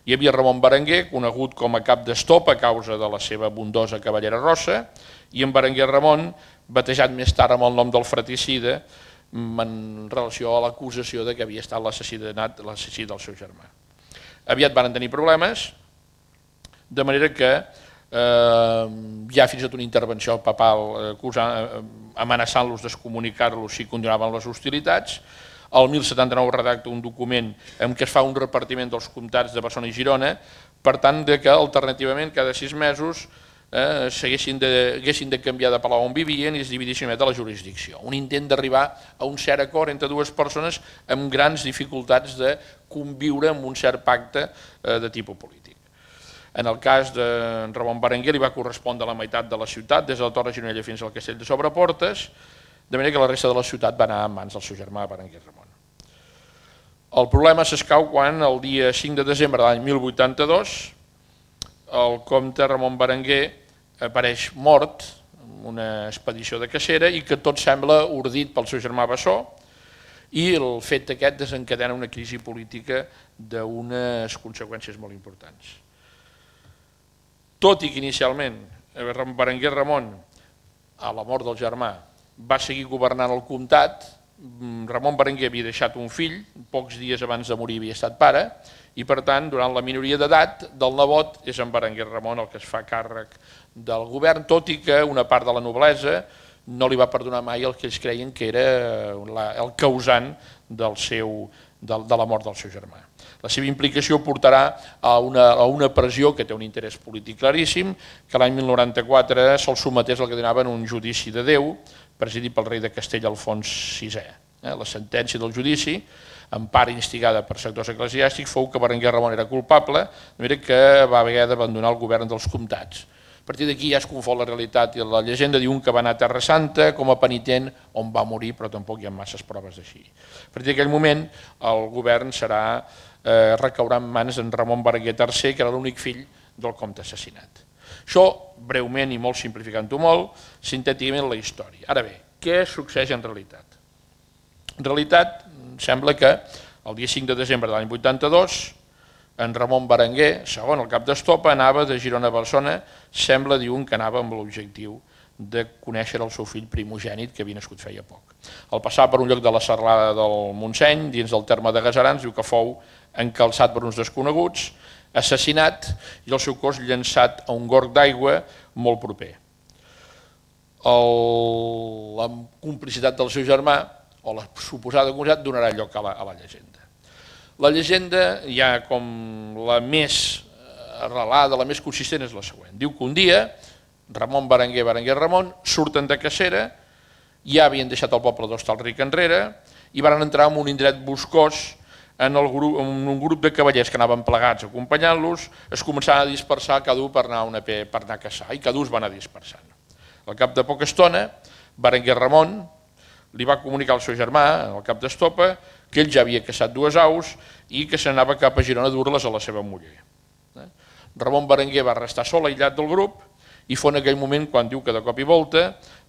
Hi havia Ramon Berenguer, conegut com a cap d'Estopa a causa de la seva abundosa cavallera rossa, i en Berenguer Ramon, batejat més tard amb el nom del fratricida, en relació a l'acusació que havia estat l'assassinat l'assassí del seu germà. Aviat van tenir problemes, de manera que eh, hi ha fins i tot una intervenció papal eh, amenaçant-los d'excomunicar-los si continuaven les hostilitats. El mil setanta-nou redacta un document en què es fa un repartiment dels comtats de Barcelona i Girona, per tant que alternativament cada sis mesos eh, haguessin de, de canviar de palau on vivien i es dividissin de la jurisdicció. Un intent d'arribar a un cert acord entre dues persones amb grans dificultats de conviure amb un cert pacte eh, de tipus polític. En el cas de Ramon Berenguer li va correspondre la meitat de la ciutat, des de la Torre Gironella fins al Castell de Sobreportes. de manera que la resta de la ciutat va anar en mans del seu germà Berenguer Ramon. El problema s'escau quan el dia cinc de desembre de l'any mil vuitanta-dos el comte Ramon Berenguer apareix mort en una expedició de cacera i que tot sembla ordit pel seu germà Bessó, i el fet aquest desencadena una crisi política d'unes conseqüències molt importants. Tot i que inicialment Berenguer Ramon, a la mort del germà, va seguir governant el comtat, Ramon Berenguer havia deixat un fill, pocs dies abans de morir havia estat pare, i per tant, durant la minoria d'edat del nebot, és en Berenguer Ramon el que es fa càrrec del govern, tot i que una part de la noblesa no li va perdonar mai el que ells creien que era el causant del seu, de la mort del seu germà. La seva implicació portarà a una, a una pressió que té un interès polític claríssim, que l'any mil noranta-quatre se'l sometés al que denominaven un judici de Déu, presidit pel rei de Castella Alfons sisè. La sentència del judici, en part instigada per sectors eclesiàstics, fou que Berenguer Ramon era culpable, de manera que va haver d'abandonar el govern dels comtats. A partir d'aquí ja es confon la realitat i la llegenda diuen que va anar a Terra Santa com a penitent, on va morir, però tampoc hi ha masses proves d'així. A partir d'aquell moment el govern serà, eh, recaurà en mans d'en Ramon Berenguer tercer, que era l'únic fill del comte assassinat. Això, breument i molt simplificant-ho molt, sintèticament la història. Ara bé, què succeeix en realitat? En realitat, sembla que el dia cinc de desembre de l'any vuitanta-dos, en Ramon Berenguer, segon el cap d'estopa, anava de Girona a Barcelona, sembla, diuen, que anava amb l'objectiu de conèixer el seu fill primogènit, que havia nascut feia poc. Al passar per un lloc de la serralada del Montseny, dins del terme de Gaserans, diu que fou encalçat per uns desconeguts, assassinat i el seu cos llançat a un gorg d'aigua molt proper. La complicitat del seu germà, o la suposada complicitat, donarà lloc a la, a la llegenda. La llegenda, ja com la més arrelada, la més consistent, és la següent. Diu que un dia, Ramon Berenguer, Berenguer Ramon, surten de cacera, ja havien deixat el poble d'Hostalric enrere, i van entrar en un indret boscós, en, el grup, en un grup de cavallers que anaven plegats acompanyant-los, es començaven a dispersar cada un per anar a, una, per anar a caçar, i cada un es va anar dispersant. Al cap de poca estona, Berenguer Ramon li va comunicar al seu germà, al cap d'estopa, que ell ja havia caçat dues aus i que s'anava cap a Girona a dur-les a la seva muller. Ramon Berenguer va restar sol, aïllat del grup, i fou en aquell moment quan diu que de cop i volta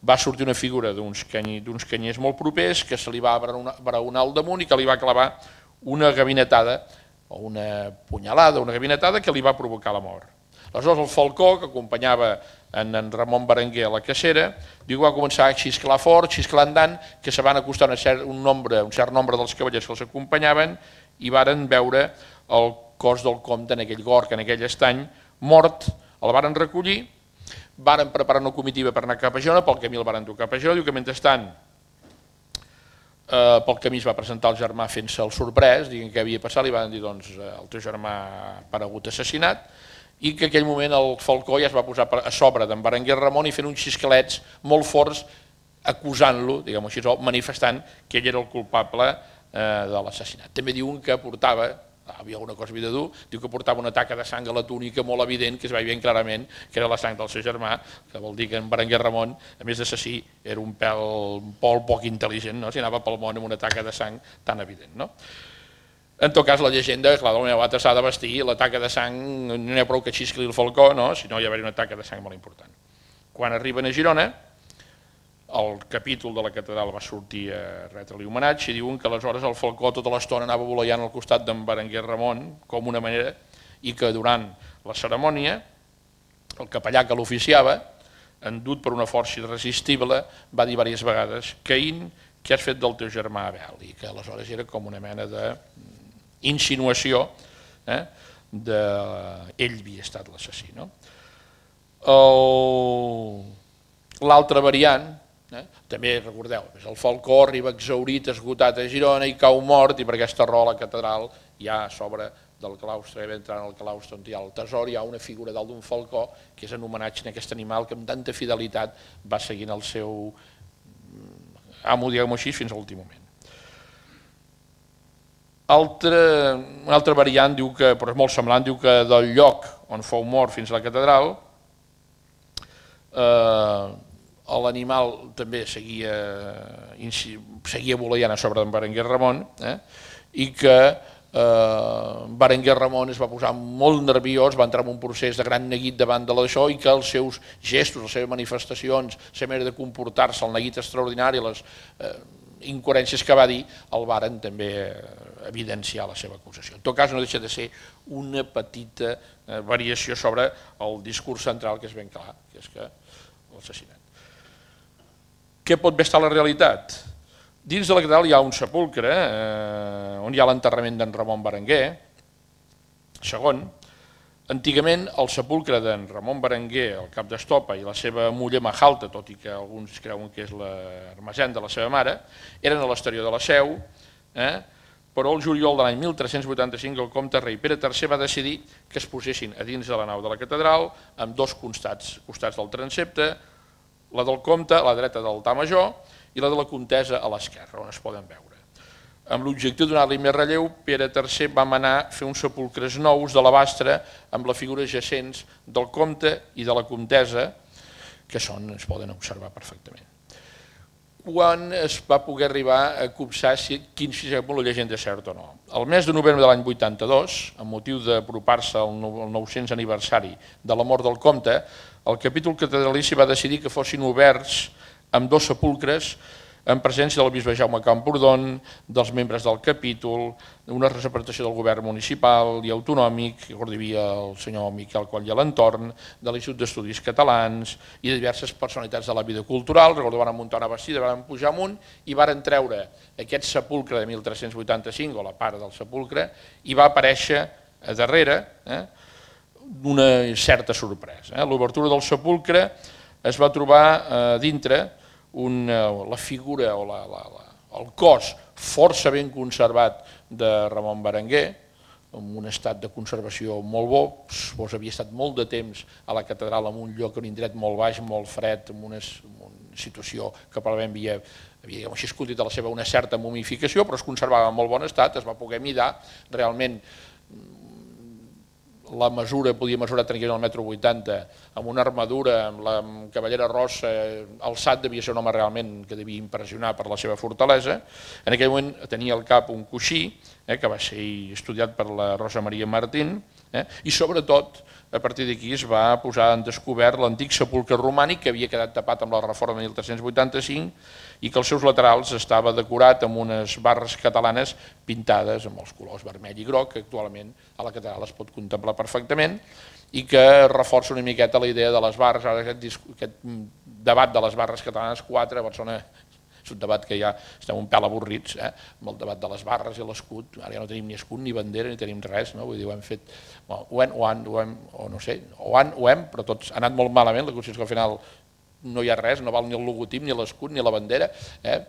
va sortir una figura d'uns canyers molt propers que se li va braonar al damunt i que li va clavar una gavinetada, o una punyalada, una gavinetada que li va provocar la mort. Aleshores el falcó, que acompanyava en Ramon Berenguer a la cacera, diu que va començar a xisclar fort, xisclar andant, que se van acostar un cert, un, nombre, un cert nombre dels cavallers que els acompanyaven i varen veure el cos del comte en aquell gorg, en aquell estany, mort, el varen recollir, varen preparar una comitiva per anar cap a Girona, pel camí el varen dur cap a Girona, diu que mentrestant eh, pel camí es va presentar el germà fent-se el sorprès, dient què havia passat, li van dir doncs el teu germà ha aparegut assassinat, i que en aquell moment el falcó ja es va posar a sobre d'en Berenguer Ramon i fent uns xisclets molt forts acusant-lo, diguem-ho així, manifestant que ell era el culpable de l'assassinat. També diuen que portava, havia alguna cosa havia de dur, diu que portava una taca de sang a la túnica molt evident, que es veia ben clarament que era la sang del seu germà, que vol dir que en Berenguer Ramon, a més d'assassí, era un pèl un pol poc intel·ligent, no? Si anava pel món amb una taca de sang tan evident, no? En tot cas, la llegenda, clar, de la meva bata s'ha de vestir, la taca de sang, no n'hi ha prou que xiscli el falcó, no? Si no hi ha d'haver una taca de sang molt important. Quan arriben a Girona, el capítol de la catedral va sortir a retre-li homenatge i diuen que aleshores el falcó tota l'estona anava voleiant al costat d'en Berenguer Ramon com una manera, i que durant la cerimònia el capellà que l'oficiava, endut per una força irresistible, va dir diverses vegades: Caín, què has fet del teu germà Abel? I que aleshores era com una mena de insinuació eh, d'ell havia estat l'assassí. No? L'altra variant, eh, també recordeu, el falcó arriba exhaurit, esgotat a Girona i cau mort, i per aquesta raó la catedral ja a sobre del claustre, entrant al claustre on hi ha el tesor, hi ha una figura dalt d'un falcó que és en homenatge a aquest animal que amb tanta fidelitat va seguint el seu amo, diguem-ho així, fins a l'últim moment. Altra, una altra variant, diu que, però és molt semblant, diu que del lloc on fou mort fins a la catedral, eh, l'animal també seguia, seguia voleiant a sobre d'en Berenguer Ramon, eh? i que eh, Berenguer Ramon es va posar molt nerviós, va entrar en un procés de gran neguit davant de l'això i que els seus gestos, les seves manifestacions, la seva manera de comportar-se, el neguit extraordinari, les eh, incoherències que va dir, el varen també evidenciar la seva acusació. En tot cas no deixa de ser una petita eh, variació sobre el discurs central que és ben clar, que és que l'assassinat. Què pot bé estar la realitat? Dins de la catedral hi ha un sepulcre eh, on hi ha l'enterrament d'en Ramon Berenguer. Segon, antigament el sepulcre d'en Ramon Berenguer, el cap d'estopa, i la seva muller Majalta, tot i que alguns creuen que és l'hermesent de la seva mare, eren a l'exterior de la Seu, eh? però el juliol de l'any mil tres-cents vuitanta-cinc el comte rei Pere tercer va decidir que es posessin a dins de la nau de la catedral amb dos costats, costats del transepte, la del comte a la dreta de l'altar major i la de la comtessa a l'esquerra, on es poden veure. Amb l'objectiu de donar-li més relleu, Pere tercer va manar fer uns sepulcres nous de l'Abastre amb les figures jacents del comte i de la comtessa, que són, es poden observar perfectament. Quan es va poder arribar a copsar si, quin si la llegenda és cert o no. El mes de novembre de l'any vuitanta-dos, amb motiu d'apropar-se al nou-cents aniversari de la mort del comte, el capítol catedralici va decidir que fossin oberts amb dos sepulcres en presència del bisbe Jaume Camprodon, dels membres del capítol, una representació del govern municipal i autonòmic, que hi havia el senyor Miquel Coll i a l'entorn, de l'Institut d'Estudis Catalans i de diverses personalitats de la vida cultural. Recordo, van muntar una bastida, van pujar amunt i van treure aquest sepulcre de mil tres-cents vuitanta-cinc, o la part del sepulcre, i va aparèixer a darrere eh, una certa sorpresa. Eh. L'obertura del sepulcre es va trobar eh, dintre Una, la figura o la, la, la, el cos força ben conservat de Ramon Berenguer, en un estat de conservació molt bo, pues havia estat molt de temps a la catedral en un lloc, en un indret molt baix, molt fred, en una, en una situació que probablement havia, havia així escollit a la seva una certa momificació, però es conservava en molt bon estat, es va poder mirar realment. La mesura podia mesurar tranquil·lament el metro vuitanta, amb una armadura, amb la cavallera rossa, alçat, devia ser un home realment que devia impressionar per la seva fortalesa. En aquell moment tenia al cap un coixí, eh, que va ser estudiat per la Rosa Maria Martín, eh, i sobretot a partir d'aquí es va posar en descobert l'antic sepulcre romànic que havia quedat tapat amb la reforma de mil tres-cents vuitanta-cinc i que als seus laterals estava decorat amb unes barres catalanes pintades amb els colors vermell i groc, que actualment a la catedral es pot contemplar perfectament i que reforça una miqueta la idea de les barres, ara aquest, aquest debat de les barres catalanes quatre, a Barcelona és un debat que ja estem un pèl avorrits, eh? amb el debat de les barres i l'escut, ara ja no tenim ni escut ni bandera ni tenim res, no? Vull dir, ho hem fet, bueno, ho hem, ho han, ho hem, o no sé, ho han, ho hem, però tots ha anat molt malament, la qüestió és que al final no hi ha res, no val ni el logotip, ni l'escut, ni la bandera, eh?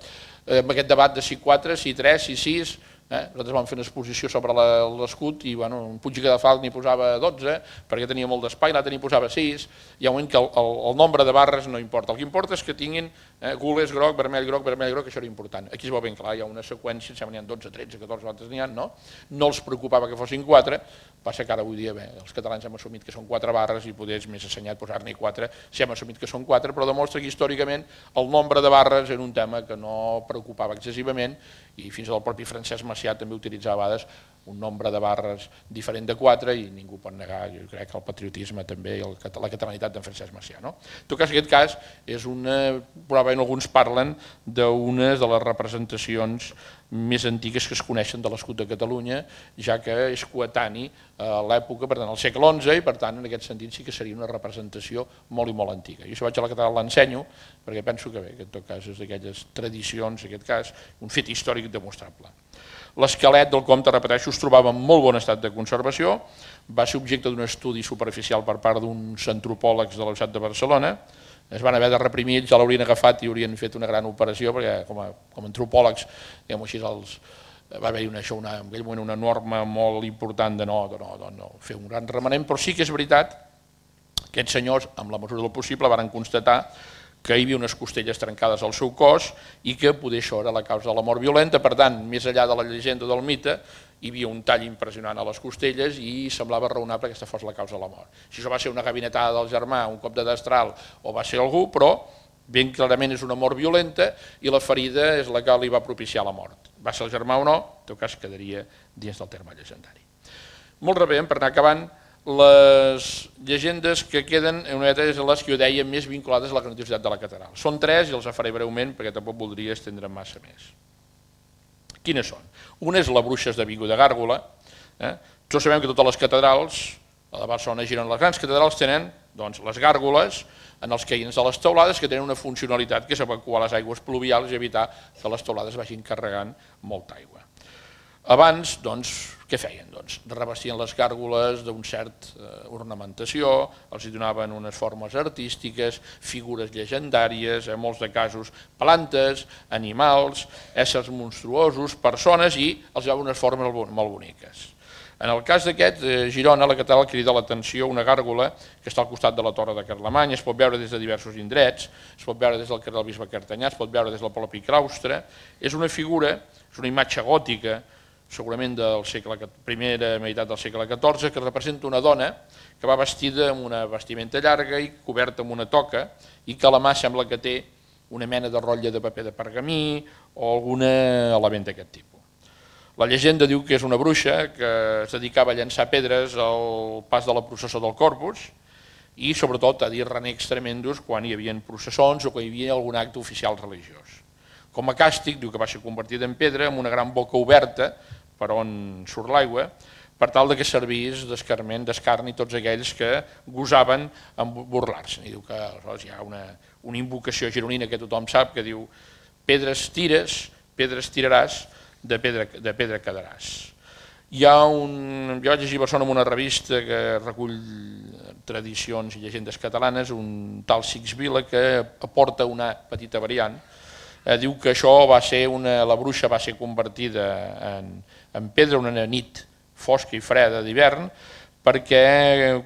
amb aquest debat de si quatre, si tres, si sis, eh? nosaltres vam fer una exposició sobre l'escut i bueno, un Puig i Cadafalch n'hi posava dotze perquè tenia molt d'espai, l'altre n'hi posava sis, hi ha un moment que el, el, el nombre de barres no importa, el que importa és que tinguin eh, gules groc, vermell groc, vermell groc, això era important. Aquí es veu ben clar, hi ha una seqüència, em sembla n'hi ha dotze, tretze, catorze, altres n'hi ha, no? No els preocupava que fossin quatre, passa que ara avui dia bé, els catalans hem assumit que són quatre barres i poder és més assenyat posar-ne quatre, si hem assumit que són quatre, però demostra que històricament el nombre de barres era un tema que no preocupava excessivament i fins i tot el propi Francesc Macià també utilitzava a vegades un nombre de barres diferent de quatre i ningú pot negar, jo crec, el patriotisme també i el, la catalanitat d'en Francesc Macià. No? En tot cas, aquest cas és una, probablement alguns parlen d'una de les representacions més antigues que es coneixen de l'escut de Catalunya, ja que és coetani a l'època, per tant, al segle onze, i per tant, en aquest sentit sí que seria una representació molt i molt antiga. Jo si vaig a la catedral l'ensenyo, perquè penso que bé, que en tot cas és d'aquelles tradicions, en aquest cas, un fet històric demostrable. L'esquelet del comte, repeteixo, es trobava en molt bon estat de conservació, va ser objecte d'un estudi superficial per part d'uns antropòlegs de la Universitat de Barcelona, es van haver de reprimir, ja l'haurien agafat i haurien fet una gran operació, perquè com a, com a antropòlegs, diguem així, els, va haver-hi una, una, en aquell moment una norma molt important de no, de no, de no fer un gran remenent, però sí que és veritat que aquests senyors, amb la mesura del possible, van constatar que hi havia unes costelles trencades al seu cos i que poder això era la causa de la mort violenta. Per tant, més enllà de la llegenda del mite, hi havia un tall impressionant a les costelles i semblava raonable que aquesta fos la causa de la mort. Si això va ser una gabinetada del germà, un cop de destral o va ser algú, però Ben clarament és una mort violenta i la ferida és la que li va propiciar la mort. Va ser el germà o no, en tot cas quedaria dins del terme llegendari. Molt ràpidament, per anar acabant, les llegendes que queden una mica és les que jo deia més vinculades a la grandiositat de la catedral. Són tres i els faré breument perquè tampoc voldria estendre massa més. Quines són? Una és la Bruixes de Vigo de Gàrgola. Eh? Tots sabem que totes les catedrals, a la Barcelona i Girona, les grans catedrals tenen doncs, les gàrgoles en els caïns de les teulades que tenen una funcionalitat que és evacuar les aigües pluvials i evitar que les teulades vagin carregant molta aigua. Abans, doncs, què feien? Doncs, revestien les gàrgoles d'una certa eh, ornamentació, els hi donaven unes formes artístiques, figures llegendàries, en molts de casos plantes, animals, éssers monstruosos, persones i els donaven unes formes molt boniques. En el cas d'aquest, eh, Girona, la catedral crida l'atenció una gàrgola que està al costat de la Torre de Carlemany, es pot veure des de diversos indrets, es pot veure des del carrer del Bisbe Cartanyà, es pot veure des del propi claustre. És una figura, és una imatge gòtica, segurament de la primera meitat del segle catorze, que representa una dona que va vestida amb una vestimenta llarga i coberta amb una toca i que a la mà sembla que té una mena de rotlle de paper de pergamí o algun element d'aquest tipus. La llegenda diu que és una bruixa que es dedicava a llançar pedres al pas de la processó del Corpus i sobretot a dir renecs tremendos quan hi havia processons o quan hi havia algun acte oficial religiós. Com a càstig, diu que va ser convertida en pedra amb una gran boca oberta per on surt l'aigua, per tal que servís d'escarment, d'escarni tots aquells que gosaven en burlar-se. I diu que hi ha una, una invocació gironina que tothom sap que diu pedres tires, pedres tiraràs, de pedra, de pedra quedaràs. Hi ha un, jo vaig llegir a Barcelona en una revista que recull tradicions i llegendes catalanes, un tal Six Vila que aporta una petita variant. Eh, diu que això va ser una, la bruixa va ser convertida en, en pedra una nit fosca i freda d'hivern, perquè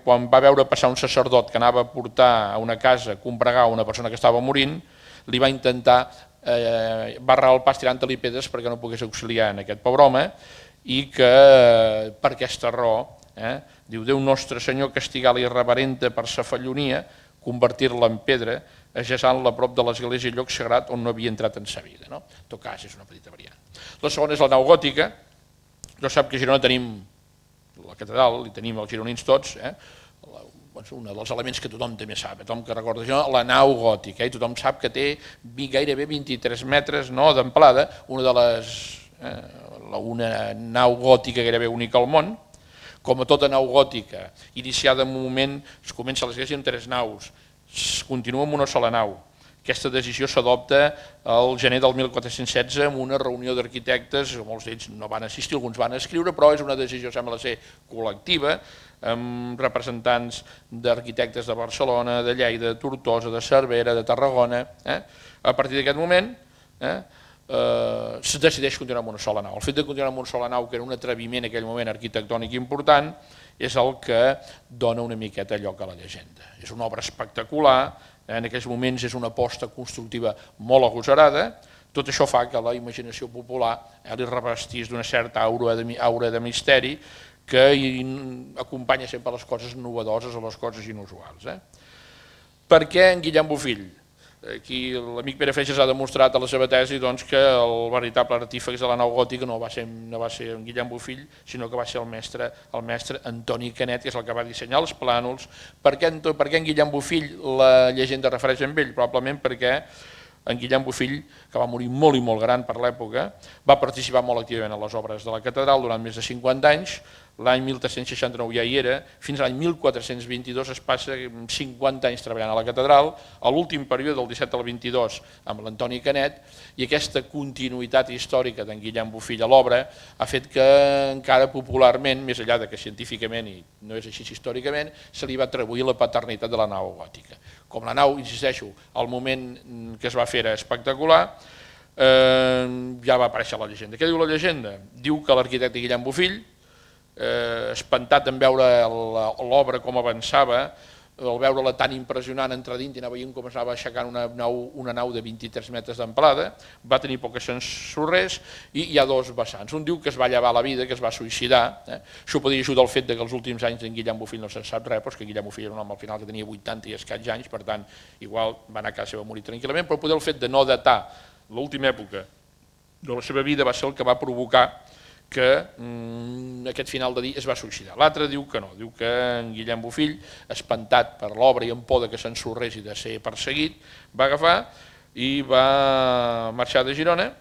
quan va veure passar un sacerdot que anava a portar a una casa a combregar una persona que estava morint, li va intentar eh, barrar el pas tirant-li pedres perquè no pogués auxiliar en aquest pobre home i que per aquesta raó, eh, diu Déu nostre Senyor castigar l'irreverenta per sa fallonia, convertir-la en pedra, ajaçant-la a prop de l'església i lloc sagrat on no havia entrat en sa vida. No? En tot cas, és una petita variant. La segona és la nau gòtica. Jo sap que a Girona tenim la catedral, i tenim els gironins tots, eh? un dels elements que tothom també sap, tothom que recorda això, la nau gòtica, eh? Tothom sap que té gairebé vint-i-tres metres no, d'amplada, una de les eh, una nau gòtica gairebé única al món. Com a tota nau gòtica, iniciada en un moment, es comença l'església amb tres naus, es continua amb una sola nau. Aquesta decisió s'adopta al gener del mil quatre-cents setze en una reunió d'arquitectes, molts d'ells no van assistir, alguns van escriure, però és una decisió, sembla ser, col·lectiva, amb representants d'arquitectes de Barcelona, de Lleida, de Tortosa, de Cervera, de Tarragona. Eh? A partir d'aquest moment eh, eh, es decideix continuar amb una sola nau. El fet de continuar amb una sola nau, que era un atreviment en aquell moment arquitectònic important, és el que dona una miqueta lloc a la llegenda. És una obra espectacular, en aquells moments és una aposta constructiva molt agosarada, tot això fa que la imaginació popular eh, li revestís d'una certa aura de, aura de misteri que acompanya sempre les coses novedoses o les coses inusuals. Eh? Per què en Guillem Bofill? Aquí l'amic Pere Freixas ha demostrat a la seva tesi doncs, que el veritable artífex de la nau gòtica no va ser, no va ser en Guillem Bofill, sinó que va ser el mestre, el mestre Antoni Canet, que és el que va dissenyar els plànols. Per què, per què en Guillem Bofill la llegenda refereix a ell? Probablement perquè en Guillem Bofill, que va morir molt i molt gran per l'època, va participar molt activament a les obres de la catedral durant més de cinquanta anys. L'any mil tres-cents seixanta-nou ja hi era, fins a l'any mil quatre-cents vint-i-dos es passa cinquanta anys treballant a la catedral, a l'últim període del disset al vint-i-dos amb l'Antoni Canet, i aquesta continuïtat històrica d'en Guillem Bofill a l'obra ha fet que encara popularment, més enllà de que científicament i no és així històricament, se li va atribuir la paternitat de la nau gòtica. Com la nau, insisteixo, al moment que es va fer era espectacular, eh, ja va aparèixer la llegenda. Què diu la llegenda? Diu que l'arquitecte Guillem Bofill, Eh, espantat en veure l'obra com avançava, al veure-la tan impressionant entrar dins i anar veient com es anava aixecant una nau, una nau de vint-i-tres metres d'amplada, va tenir poques ensorrers i hi ha dos vessants. Un diu que es va llevar la vida, que es va suïcidar. Eh? Això podria ajudar el fet que els últims anys d'en Guillem Bofill no se'n sap res, però és que Guillem Bofill era un home al final que tenia vuitanta i escaig anys, per tant, igual va anar a casa seva a morir tranquil·lament, però poder el fet de no datar l'última època de la seva vida va ser el que va provocar que mm, aquest final de dia es va suïcidar. L'altre diu que no, diu que en Guillem Bofill, espantat per l'obra i amb por que s'ensorrés i de ser perseguit, va agafar i va marxar de Girona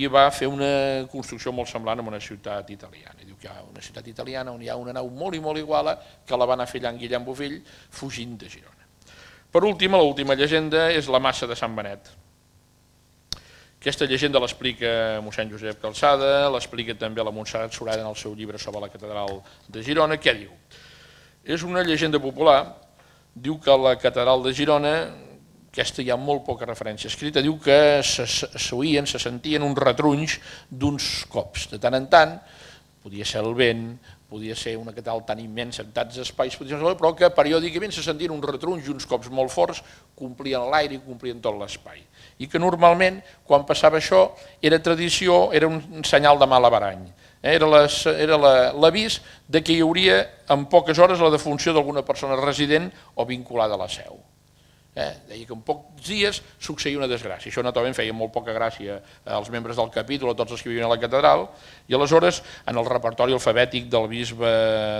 i va fer una construcció molt semblant en una ciutat italiana. Diu que hi ha una ciutat italiana on hi ha una nau molt i molt iguala que la va anar fer allà en Guillem Bofill fugint de Girona. Per últim, l'última llegenda és la Massa de Sant Benet. Aquesta llegenda l'explica mossèn Josep Calçada, l'explica també la Montserrat Surada en el seu llibre sobre la catedral de Girona. Què diu? És una llegenda popular, diu que la catedral de Girona, aquesta hi ha molt poca referència escrita, diu que s'oïen, se sentien uns retrunys d'uns cops. De tant en tant, podia ser el vent, podia ser una catedral tan immensa en tants espais, però que periòdicament se sentien uns retrunys i uns cops molt forts, complien l'aire i complien tot l'espai. I que normalment, quan passava això, era tradició, era un senyal de mal averany. Era l'avís que hi hauria en poques hores la defunció d'alguna persona resident o vinculada a la seu. Deia que en pocs dies succeïa una desgràcia. Això naturalment feia molt poca gràcia als membres del capítol, a tots els que vivien a la catedral, i aleshores en el repertori alfabètic del bisbe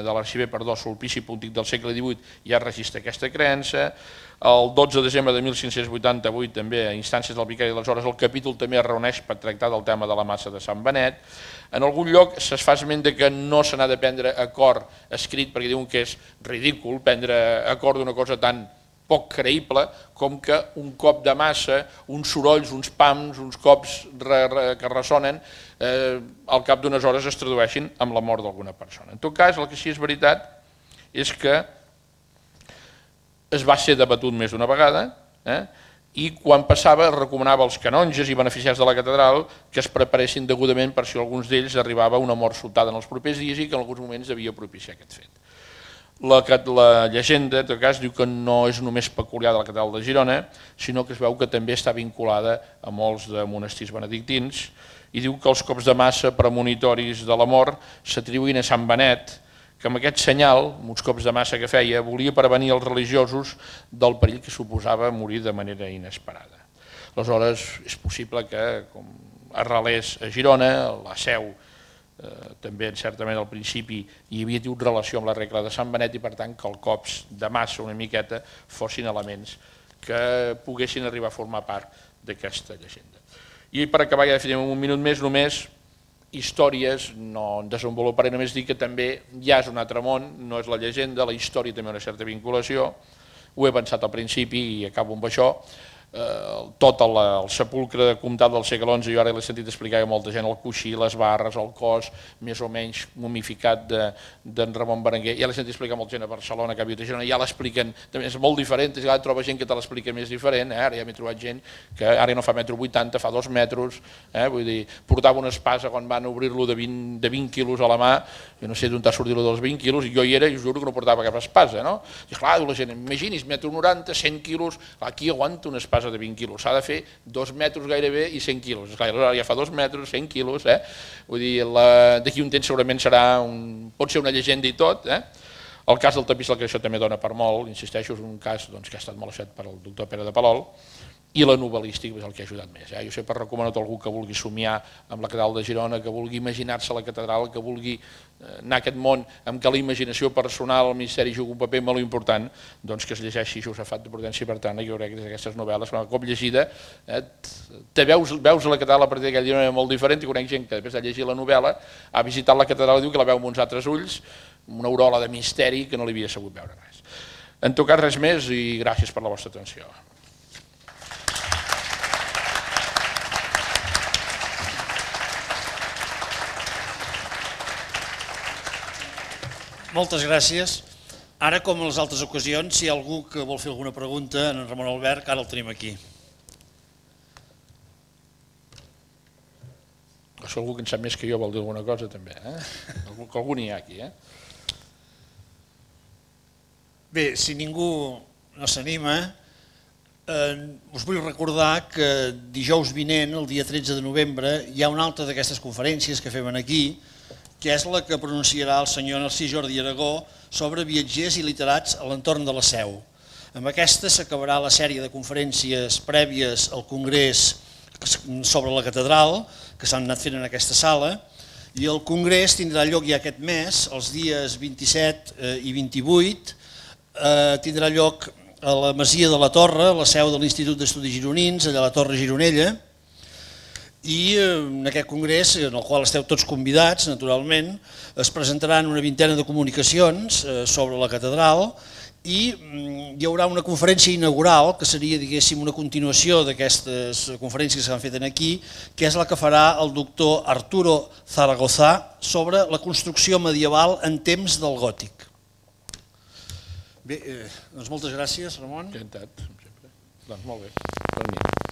de l'arxiver, perdó, Sulpici Pontic del segle divuit ja registra aquesta creença. El dotze de desembre de mil cinc-cents vuitanta-vuit, també a instàncies del vicari, aleshores el capítol també es reuneix per tractar del tema de la Massa de Sant Benet. En algun lloc es fa esment que no se n'ha de prendre acord escrit, perquè diuen que és ridícul prendre acord d'una cosa tan poc creïble com que un cop de massa, uns sorolls, uns pams, uns cops que ressonen, al cap d'unes hores es tradueixin amb la mort d'alguna persona. En tot cas, el que sí és veritat és que es va ser debatut més d'una vegada i quan passava es recomanava als canonges i beneficiats de la catedral que es preparessin degudament per si alguns d'ells arribava una mort sobtada en els propers dies i que en alguns moments devia propiciar aquest fet. La llegenda, en tot cas, diu que no és només peculiar de la catedral de Girona, sinó que es veu que també està vinculada a molts de monestirs benedictins i diu que els cops de massa premonitoris de la mort s'atribuïen a Sant Benet, que amb aquest senyal, amb uns cops de massa que feia, volia prevenir els religiosos del perill que suposava morir de manera inesperada. Aleshores, és possible que, com arrelés a Girona, la seu també certament al principi hi havia tingut relació amb la regla de Sant Benet i per tant que els cops de massa una miqueta fossin elements que poguessin arribar a formar part d'aquesta llegenda. I per acabar, ja definim un minut més, només històries, no en desenvoluparé, només dir que també ja és un altre món, no és la llegenda, la història també una certa vinculació, ho he pensat al principi i acabo amb això. Tot el sepulcre comtal del segle onze, jo ara l'he sentit explicar a molta gent, el coixí, les barres, el cos més o menys momificat d'en Ramon Berenguer, ja l'he sentit explicar a molta gent a Barcelona, que ha viut a Girona, ja l'expliquen, també és molt diferent, ja troba gent que te l'explica més diferent, ara ja m'he trobat gent que ara no fa metro vuitanta, fa dos metres, vull dir, portava una espasa quan van obrir-lo de vint quilos a la mà, jo no sé d'on t'ha sortit dels vint quilos, i jo hi era i us juro que no portava cap espasa, no? I clar, la gent, imagini's, metro noranta, cent quilos, aquí aguanta una espasa de vint quilos, s'ha de fer dos metres gairebé i cent quilos, esclar, ja fa dos metres, cent quilos, eh? Vull dir, d'aquí un temps segurament serà, un, pot ser una llegenda i tot, eh? El cas del tapís, que això també dona per molt, insisteixo, és un cas doncs, que ha estat molt estudiat per el doctor Pere de Palol, i la novel·lística és el que ha ajudat més. Eh? Jo sempre recomano a tot algú que vulgui somiar amb la catedral de Girona, que vulgui imaginar-se la catedral, que vulgui anar a aquest món amb què la imaginació personal, el misteri juga un paper molt important, doncs que es llegeixi Josafat de Prudència i Bertrana, jo crec que aquestes novel·les, un cop llegida, eh, te veus, veus la catedral a partir d'aquella Girona molt diferent, i conec gent que després de llegir la novel·la ha visitat la catedral i diu que la veu amb uns altres ulls, una aurola de misteri que no li havia sabut veure res. En tot cas, res més i gràcies per la vostra atenció. Moltes gràcies. Ara, com en les altres ocasions, si hi ha algú que vol fer alguna pregunta en Ramon Albert, ara el tenim aquí. Si algú que en sap més que jo vol dir alguna cosa, també. Que algú n'hi ha aquí. Bé, si ningú no s'anima, us vull recordar que dijous vinent, el dia tretze de novembre, hi ha una altra d'aquestes conferències que fem aquí, que és la que pronunciarà el senyor Narcís Jordi Aragó sobre viatgers i literats a l'entorn de la Seu. Amb aquesta s'acabarà la sèrie de conferències prèvies al Congrés sobre la catedral, que s'han anat fent en aquesta sala, i el Congrés tindrà lloc ja aquest mes, els dies vint-i-set i vint-i-vuit, tindrà lloc a la Masia de la Torre, la seu de l'Institut d'Estudis Gironins, allà a la Torre Gironella, i en aquest congrés, en el qual esteu tots convidats, naturalment, es presentaran una vintena de comunicacions sobre la catedral i hi haurà una conferència inaugural, que seria, diguéssim, una continuació d'aquestes conferències que s'han fet aquí, que és la que farà el doctor Arturo Zaragoza sobre la construcció medieval en temps del gòtic. Bé, doncs moltes gràcies, Ramon. Encantat, sempre. Doncs molt bé, per mi.